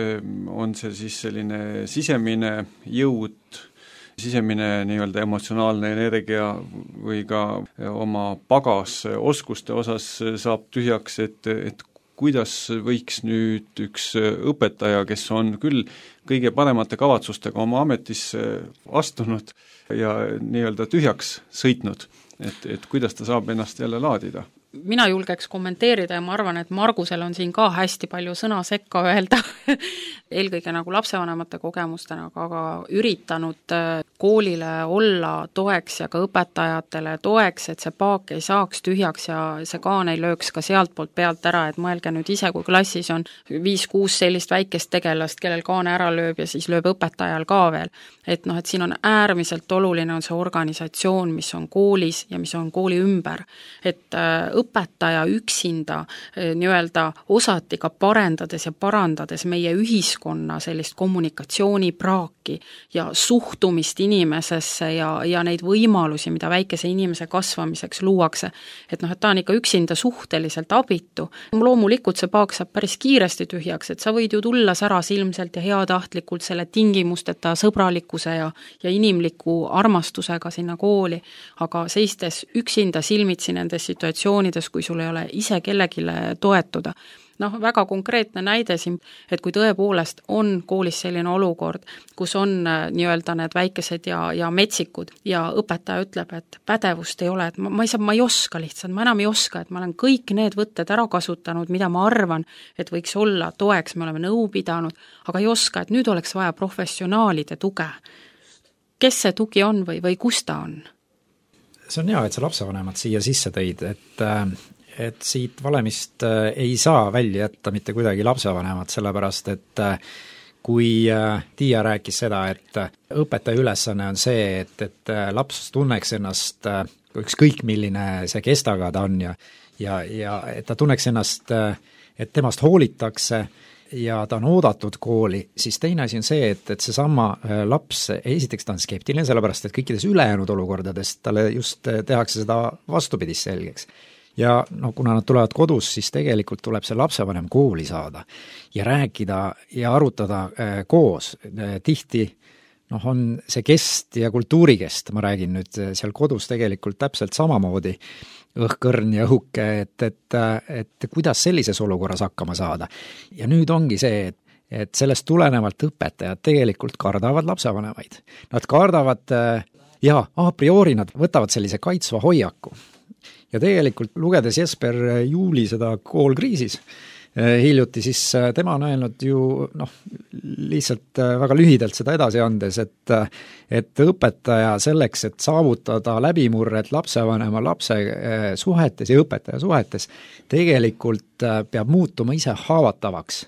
on see siis selline sisemine jõud, sisemine nii-öelda emotsionaalne energia või ka oma pagas oskuste osas saab tühjaks, et, et kuidas võiks nüüd üks õpetaja, kes on küll kõige paremate kavatsustega oma ametisse astunud ja nii-öelda tühjaks sõitnud, et, et kuidas ta saab ennast jälle laadida? Mina julgeks kommenteerida ja ma arvan, et Margusel on siin ka hästi palju sõna sekka öelda eelkõige nagu lapsevanemate kogemustena, aga üritanud koolile olla toeks ja ka õpetajatele toeks, et see paak ei saaks tühjaks ja see kaan ei lööks ka sealt poolt pealt ära, et mõelge nüüd ise, kui klassis on viis-kuus sellist väikest tegelast, kellel kaan ära lööb ja siis lööb õpetajal ka veel. Et noh, et siin on äärmiselt oluline on see organisatsioon, mis on koolis ja mis on kooli ümber. Et õpetaja üksinda nii-öelda osati ka parendades ja parandades meie ühiskonna sellist kommunikatsioonipraaki ja suhtumist inimesesse ja, ja neid võimalusi, mida väikese inimese kasvamiseks luuakse. Et noh, et ta on ikka üksinda suhteliselt abitu. Loomulikult see paak saab päris kiiresti tühjaks, et sa võid ju tulla säras ilmselt ja heatahtlikult selle tingimusteta sõbralikkuse ja, ja inimliku armastusega sinna kooli, aga seistes üksinda silmitsi nendes situatsioonides, kui sul ei ole ise kellegile toetuda. Noh, väga konkreetne näide siin, et kui tõepoolest on koolis selline olukord, kus on nii-öelda need väikesed ja, ja metsikud ja õpetaja ütleb, et pädevust ei ole, et ma, ma ei saa, ma ei oska lihtsalt, ma enam ei oska, et ma olen kõik need võtted ära kasutanud, mida ma arvan, et võiks olla toeks, me oleme nõu pidanud, aga ei oska, et nüüd oleks vaja professionaalide tuge. Kes see tugi on või, või kus ta on? See on hea, et sa lapsevanemad siia sisse tõid, et et siit valemist ei saa välja jätta mitte kuidagi lapsevanemad, sellepärast et kui Tiia rääkis seda, et õpetaja ülesanne on see, et, et laps tunneks ennast ükskõik milline see kestaga ta on ja, ja, ja et ta tunneks ennast, et temast hoolitakse ja ta on oodatud kooli, siis teine asi on see, et, et seesama laps, esiteks ta on skeptiline, sellepärast et kõikides ülejäänud olukordades talle just tehakse seda vastupidist selgeks. Ja no, kuna nad tulevad kodus, siis tegelikult tuleb see lapsevanem kooli saada ja rääkida ja arutada äh, koos. Tihti noh, on see kest ja kultuurikest, ma räägin nüüd seal kodus tegelikult täpselt samamoodi õhkõrn ja õhuke, et, et, et kuidas sellises olukorras hakkama saada. Ja nüüd ongi see, et et sellest tulenevalt õpetajad tegelikult kardavad lapsevanemaid. Nad kardavad ja a priori nad võtavad sellise kaitsva hoiaku. Ja tegelikult lugedes Jesper Juuli seda koolkriisis hiljuti, siis tema on öelnud ju noh, lihtsalt väga lühidalt seda edasi andes, et, et õpetaja selleks, et saavutada läbimurret lapsevanema lapse suhetes ja õpetaja suhetes, tegelikult peab muutuma ise haavatavaks.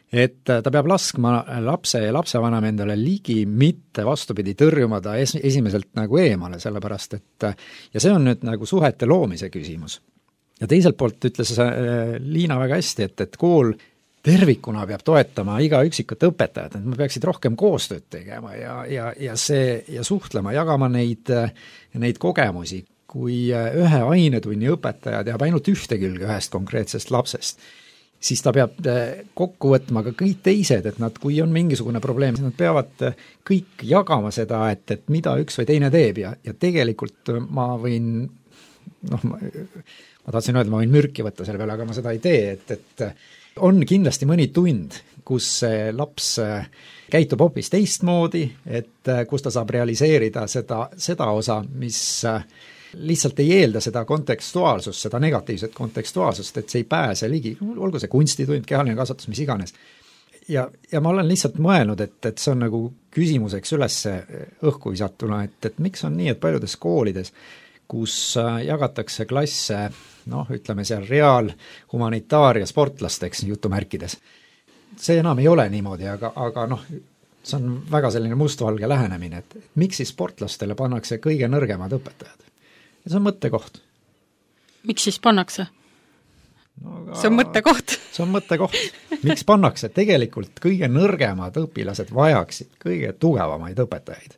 Et ta peab laskma lapse ja lapsevanem endale ligi, mitte vastupidi tõrjuma ta es- esimeselt nagu eemale, sellepärast et ja see on nüüd nagu suhete loomise küsimus. Ja teiselt poolt ütles Liina väga hästi, et, et kool tervikuna peab toetama iga üksikut õpetajat, et me peaksid rohkem koostööd tegema ja, ja, ja, see, ja suhtlema, jagama neid, neid kogemusi, kui ühe ainetunni õpetaja teab ainult ühte külge ühest konkreetsest lapsest, siis ta peab kokku võtma ka kõik teised, et nad, kui on mingisugune probleem, siis nad peavad kõik jagama seda, et, et mida üks või teine teeb ja, ja tegelikult ma võin, noh, ma, ma tahtsin öelda, ma võin mürki võtta selle peale, aga ma seda ei tee, et, et on kindlasti mõni tund, kus see laps käitub hoopis teistmoodi, et kus ta saab realiseerida seda, seda osa, mis lihtsalt ei eelda seda kontekstuaalsust, seda negatiivset kontekstuaalsust, et see ei pääse ligi, olgu see kunstitund, kehaline kasvatus, mis iganes. Ja, ja ma olen lihtsalt mõelnud, et, et see on nagu küsimuseks üles õhku visatuna, et, et miks on nii, et paljudes koolides, kus jagatakse klasse, noh, ütleme seal reaal, humanitaar- ja sportlasteks jutumärkides. See enam ei ole niimoodi, aga, aga noh, see on väga selline mustvalge lähenemine, et miks siis sportlastele pannakse kõige nõrgemad õpetajad? Ja see on mõttekoht. Miks siis pannakse? No, aga... see on mõttekoht. see on mõttekoht. Miks pannakse? Tegelikult kõige nõrgemad õpilased vajaksid kõige tugevamaid õpetajaid.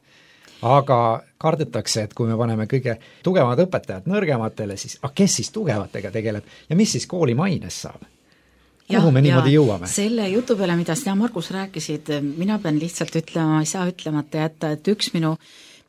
Aga kardetakse, et kui me paneme kõige tugevamad õpetajad nõrgematele, siis ah, kes siis tugevatega tegeleb ja mis siis kooli maines saab? Kuhu ja, me niimoodi jõuame? Selle jutu peale, mida sina, Margus, rääkisid, mina pean lihtsalt ütlema, ma ei saa ütlemata jätta, et üks minu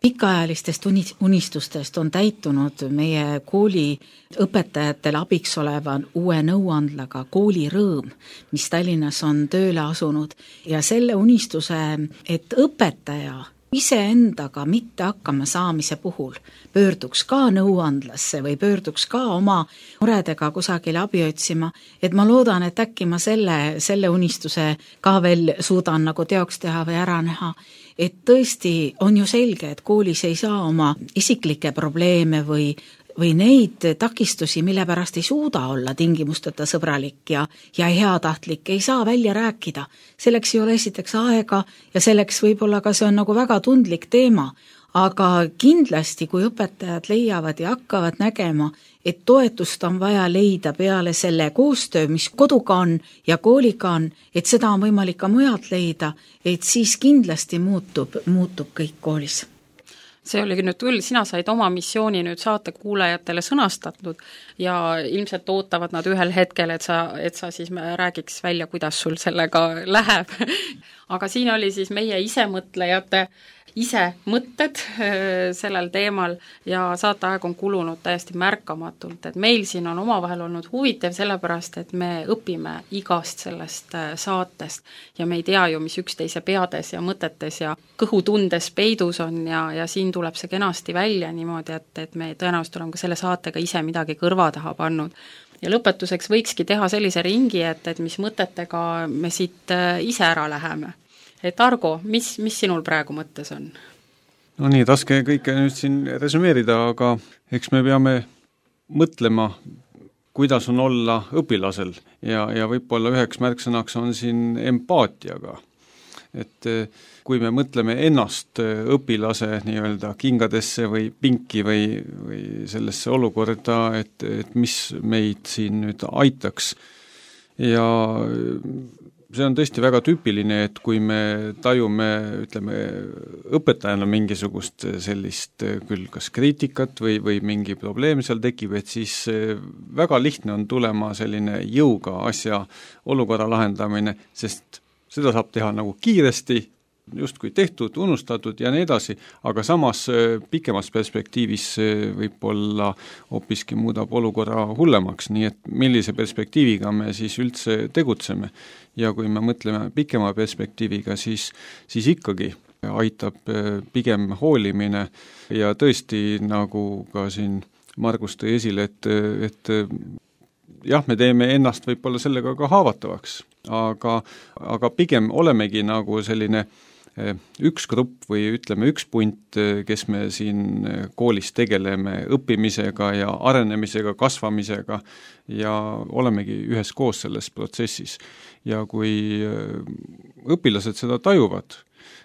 pikaajalistest unistustest on täitunud meie kooli õpetajatele abiks oleva uue nõuandlaga Kooli Rõõm, mis Tallinnas on tööle asunud. Ja selle unistuse, et õpetaja iseendaga mitte hakkama saamise puhul pöörduks ka nõuandlasse või pöörduks ka oma muredega kusagile abi otsima, et ma loodan, et äkki ma selle, selle unistuse ka veel suudan nagu teoks teha või ära näha. Et tõesti on ju selge, et koolis ei saa oma isiklikke probleeme või või neid takistusi, mille pärast ei suuda olla tingimusteta sõbralik ja, ja heatahtlik, ei saa välja rääkida. Selleks ei ole esiteks aega ja selleks võib-olla ka see on nagu väga tundlik teema, aga kindlasti, kui õpetajad leiavad ja hakkavad nägema, et toetust on vaja leida peale selle koostöö, mis koduga on ja kooliga on, et seda on võimalik ka mujalt leida, et siis kindlasti muutub, muutub kõik koolis. See oligi nüüd küll, sina said oma missiooni nüüd saate kuulajatele sõnastatud ja ilmselt ootavad nad ühel hetkel, et sa, et sa siis räägiks välja, kuidas sul sellega läheb. Aga siin oli siis meie isemõtlejate ise mõtted sellel teemal ja saateaeg on kulunud täiesti märkamatult, et meil siin on omavahel olnud huvitav sellepärast, et me õpime igast sellest saatest ja me ei tea ju, mis üksteise peades ja mõtetes ja kõhutundes peidus on ja, ja siin tuleb see kenasti välja niimoodi, et, et me tõenäoliselt oleme ka selle saatega ise midagi kõrva taha pannud. Ja lõpetuseks võikski teha sellise ringi, et, et mis mõtetega me siit ise ära läheme. Et Argo, mis, mis sinul praegu mõttes on? No nii, raske kõike nüüd siin resümeerida, aga eks me peame mõtlema, kuidas on olla õpilasel ja, ja võib-olla üheks märksõnaks on siin empaatiaga. Et kui me mõtleme ennast õpilase nii-öelda kingadesse või pinki või, või sellesse olukorda, et, et mis meid siin nüüd aitaks ja see on tõesti väga tüüpiline, et kui me tajume, ütleme, õpetajana mingisugust sellist küll kas kriitikat või, või mingi probleem seal tekib, et siis väga lihtne on tulema selline jõuga asja olukorra lahendamine, sest seda saab teha nagu kiiresti, justkui tehtud, unustatud ja nii edasi, aga samas pikemas perspektiivis võib-olla hoopiski muudab olukorra hullemaks, nii et millise perspektiiviga me siis üldse tegutseme. Ja kui me mõtleme pikema perspektiiviga, siis, siis ikkagi aitab pigem hoolimine ja tõesti, nagu ka siin Margus tõi esile, et, et jah, me teeme ennast võib-olla sellega ka haavatavaks, aga, aga pigem olemegi nagu selline üks grupp või ütleme üks punt, kes me siin koolis tegeleme õppimisega ja arenemisega, kasvamisega ja olemegi üheskoos selles protsessis. Ja kui õpilased seda tajuvad,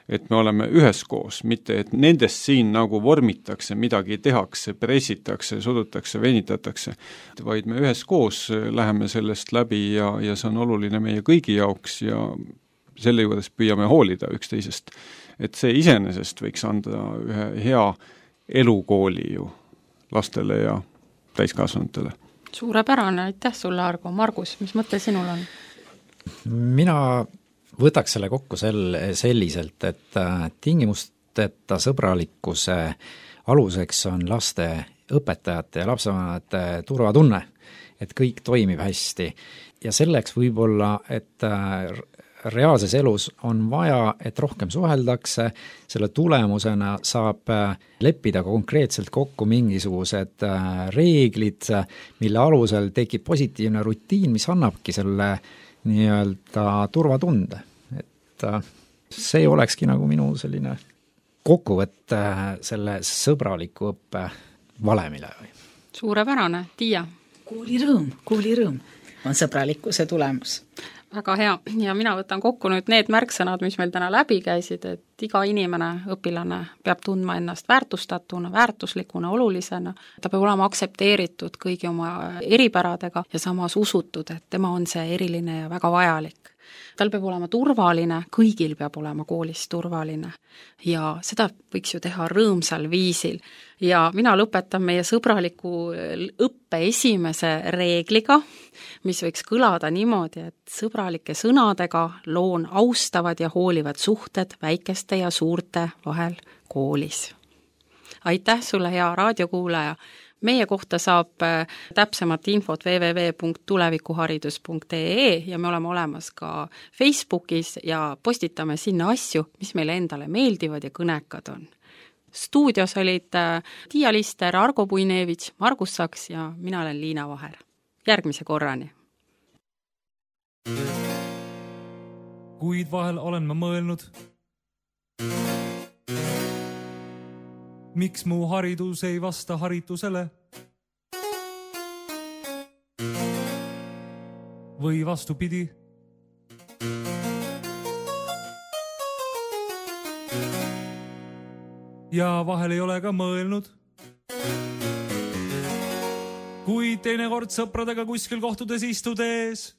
et me oleme üheskoos, mitte et nendest siin nagu vormitakse, midagi tehakse, pressitakse, sudutakse, venitatakse, vaid me üheskoos läheme sellest läbi ja, ja see on oluline meie kõigi jaoks ja selle juures püüame hoolida üksteisest. Et see iseenesest võiks anda ühe hea elukooli ju lastele ja täiskasvanutele. Suurepärane, aitäh sulle, Argo. Margus, mis mõte sinul on? Mina võtaks selle kokku sel, selliselt, et tingimusteta sõbralikkuse aluseks on laste õpetajate ja lapsevanemate turvatunne, et kõik toimib hästi. Ja selleks võib-olla, et reaalses elus on vaja, et rohkem suheldakse, selle tulemusena saab leppida konkreetselt kokku mingisugused reeglid, mille alusel tekib positiivne rutiin, mis annabki selle nii-öelda turvatunde. Et see olekski nagu minu selline kokkuvõtte selle sõbraliku õppe valemile või? Suurepärane, Tiia. Koolirõõm, koolirõõm on sõbralikkuse tulemus. Väga hea ja mina võtan kokku nüüd need märksõnad, mis meil täna läbi käisid, et iga inimene, õpilane peab tundma ennast väärtustatuna, väärtuslikuna, olulisena, ta peab olema aktsepteeritud kõigi oma eripäradega ja samas usutud, et tema on see eriline ja väga vajalik. Tal peab olema turvaline, kõigil peab olema koolis turvaline ja seda võiks ju teha rõõmsal viisil. Ja mina lõpetan meie sõbraliku õppe esimese reegliga, mis võiks kõlada niimoodi, et sõbralike sõnadega loon austavad ja hoolivad suhted väikeste ja suurte vahel koolis. Aitäh sulle, hea raadiokuulaja! Meie kohta saab täpsemat infot w w w punkt tulevikuharidus punkt e e ja me oleme olemas ka Facebookis ja postitame sinna asju, mis meile endale meeldivad ja kõnekad on. Stuudios olid Tiia Lister, Argo Puinevitš, Margus Saks ja mina olen Liina Vaher. Järgmise korrani! Kuid vahel olen ma mõelnud, miks mu haridus ei vasta haritusele? Või vastupidi? Ja vahel ei ole ka mõelnud, kui teinekord sõpradega kuskil kohtudes istudes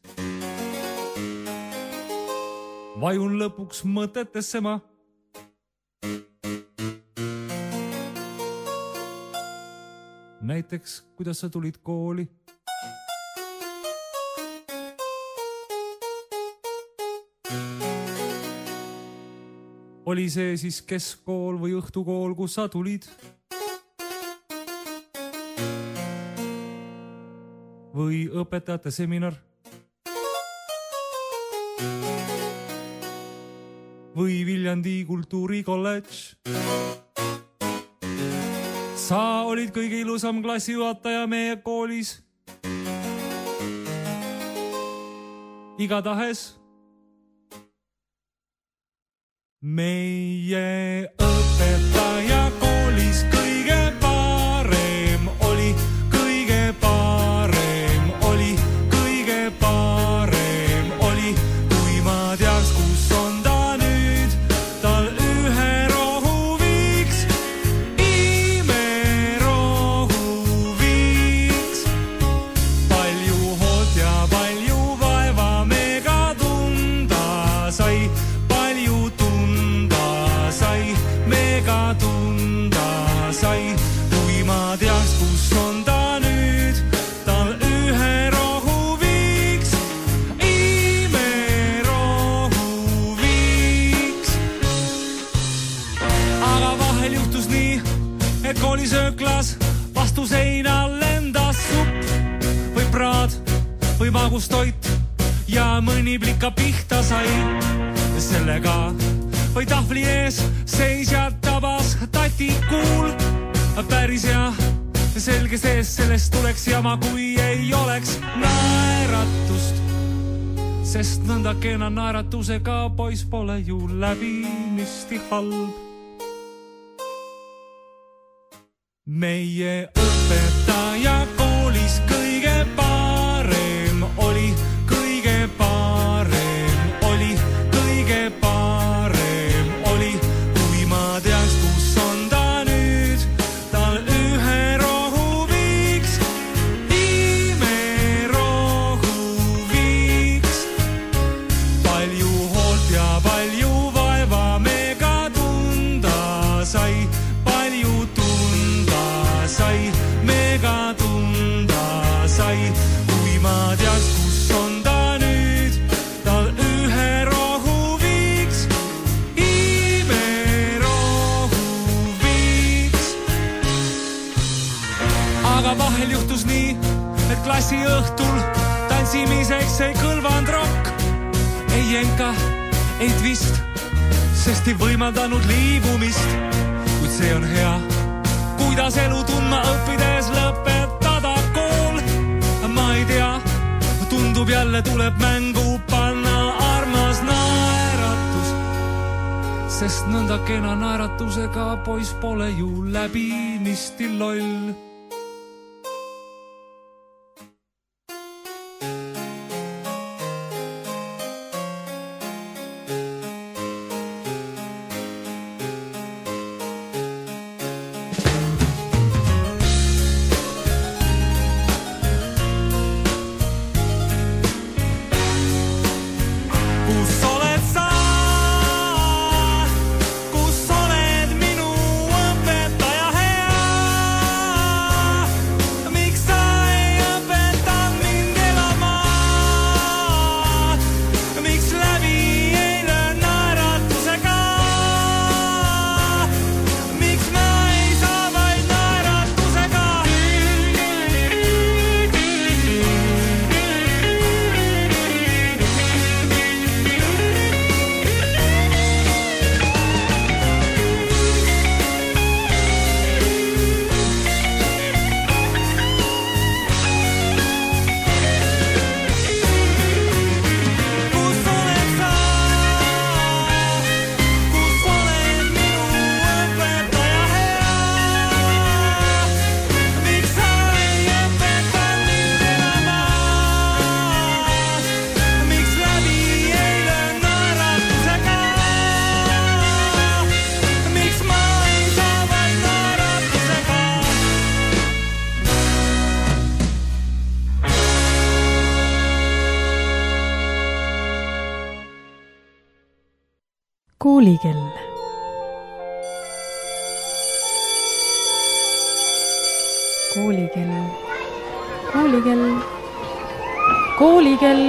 vajun lõpuks mõtetesse ma. Näiteks, kuidas sa tulid kooli? Oli see siis keskkool või õhtukool, kus sa tulid? Või õpetajate seminar? Või Viljandi kultuurikolledž? Sa olid kõige ilusam klassijuhataja meie koolis. Igatahes meie õpetaja koolis kõige parem oli, kõige parem oli, kõige parem oli, kui ma teaks, kus on ta nüüd, tal ühe rohu viiks, imerohu viiks. Palju hoolt ja palju vaeva mega tunda sai, palju tunda sai, mega tunda sai, kui ma teaks, kus on ta nüüd, tal ühe rohu viiks, imerohu viiks. Aga vahel juhtus nii, et koolisööklas vastu seina lendas supp või praad või magustoit ja mõni plika pihta sai. Sellega või tahvli ees seisja tabas tati kuul. Päris hea, selge sees, sellest tuleks jama, kui ei oleks naeratust. Sest nõnda kena naeratusega pois pole ju läbinisti halb. Meie õpetaja koolis kõige parem oli, kõige parem oli, kõige parem oli, kui ma teaks, kus on ta nüüd, tal ühe rohu viiks, imerohu viiks. Palju hoolt ja palju vaeva mega tunda sai, palju tunda sai, mega tunda sai, kui ma teaks, kus on ta nüüd, tal ühe rohu viiks, imerohu viiks. Aga vahel juhtus nii, et klassi õhtul tantsimiseks ei kõlvanud rokk, ei jenka, ei twist, sest ei võimaldanud liibumist. Kuid see on hea, kuidas elu tundma õppides lõpetada kool. Ma ei tea, tundub jälle tuleb mängu panna armas naeratus, sest nõnda kena naeratusega pois pole ju läbinisti loll. Koolikell. Koolikell. Koolikell. Koolikell.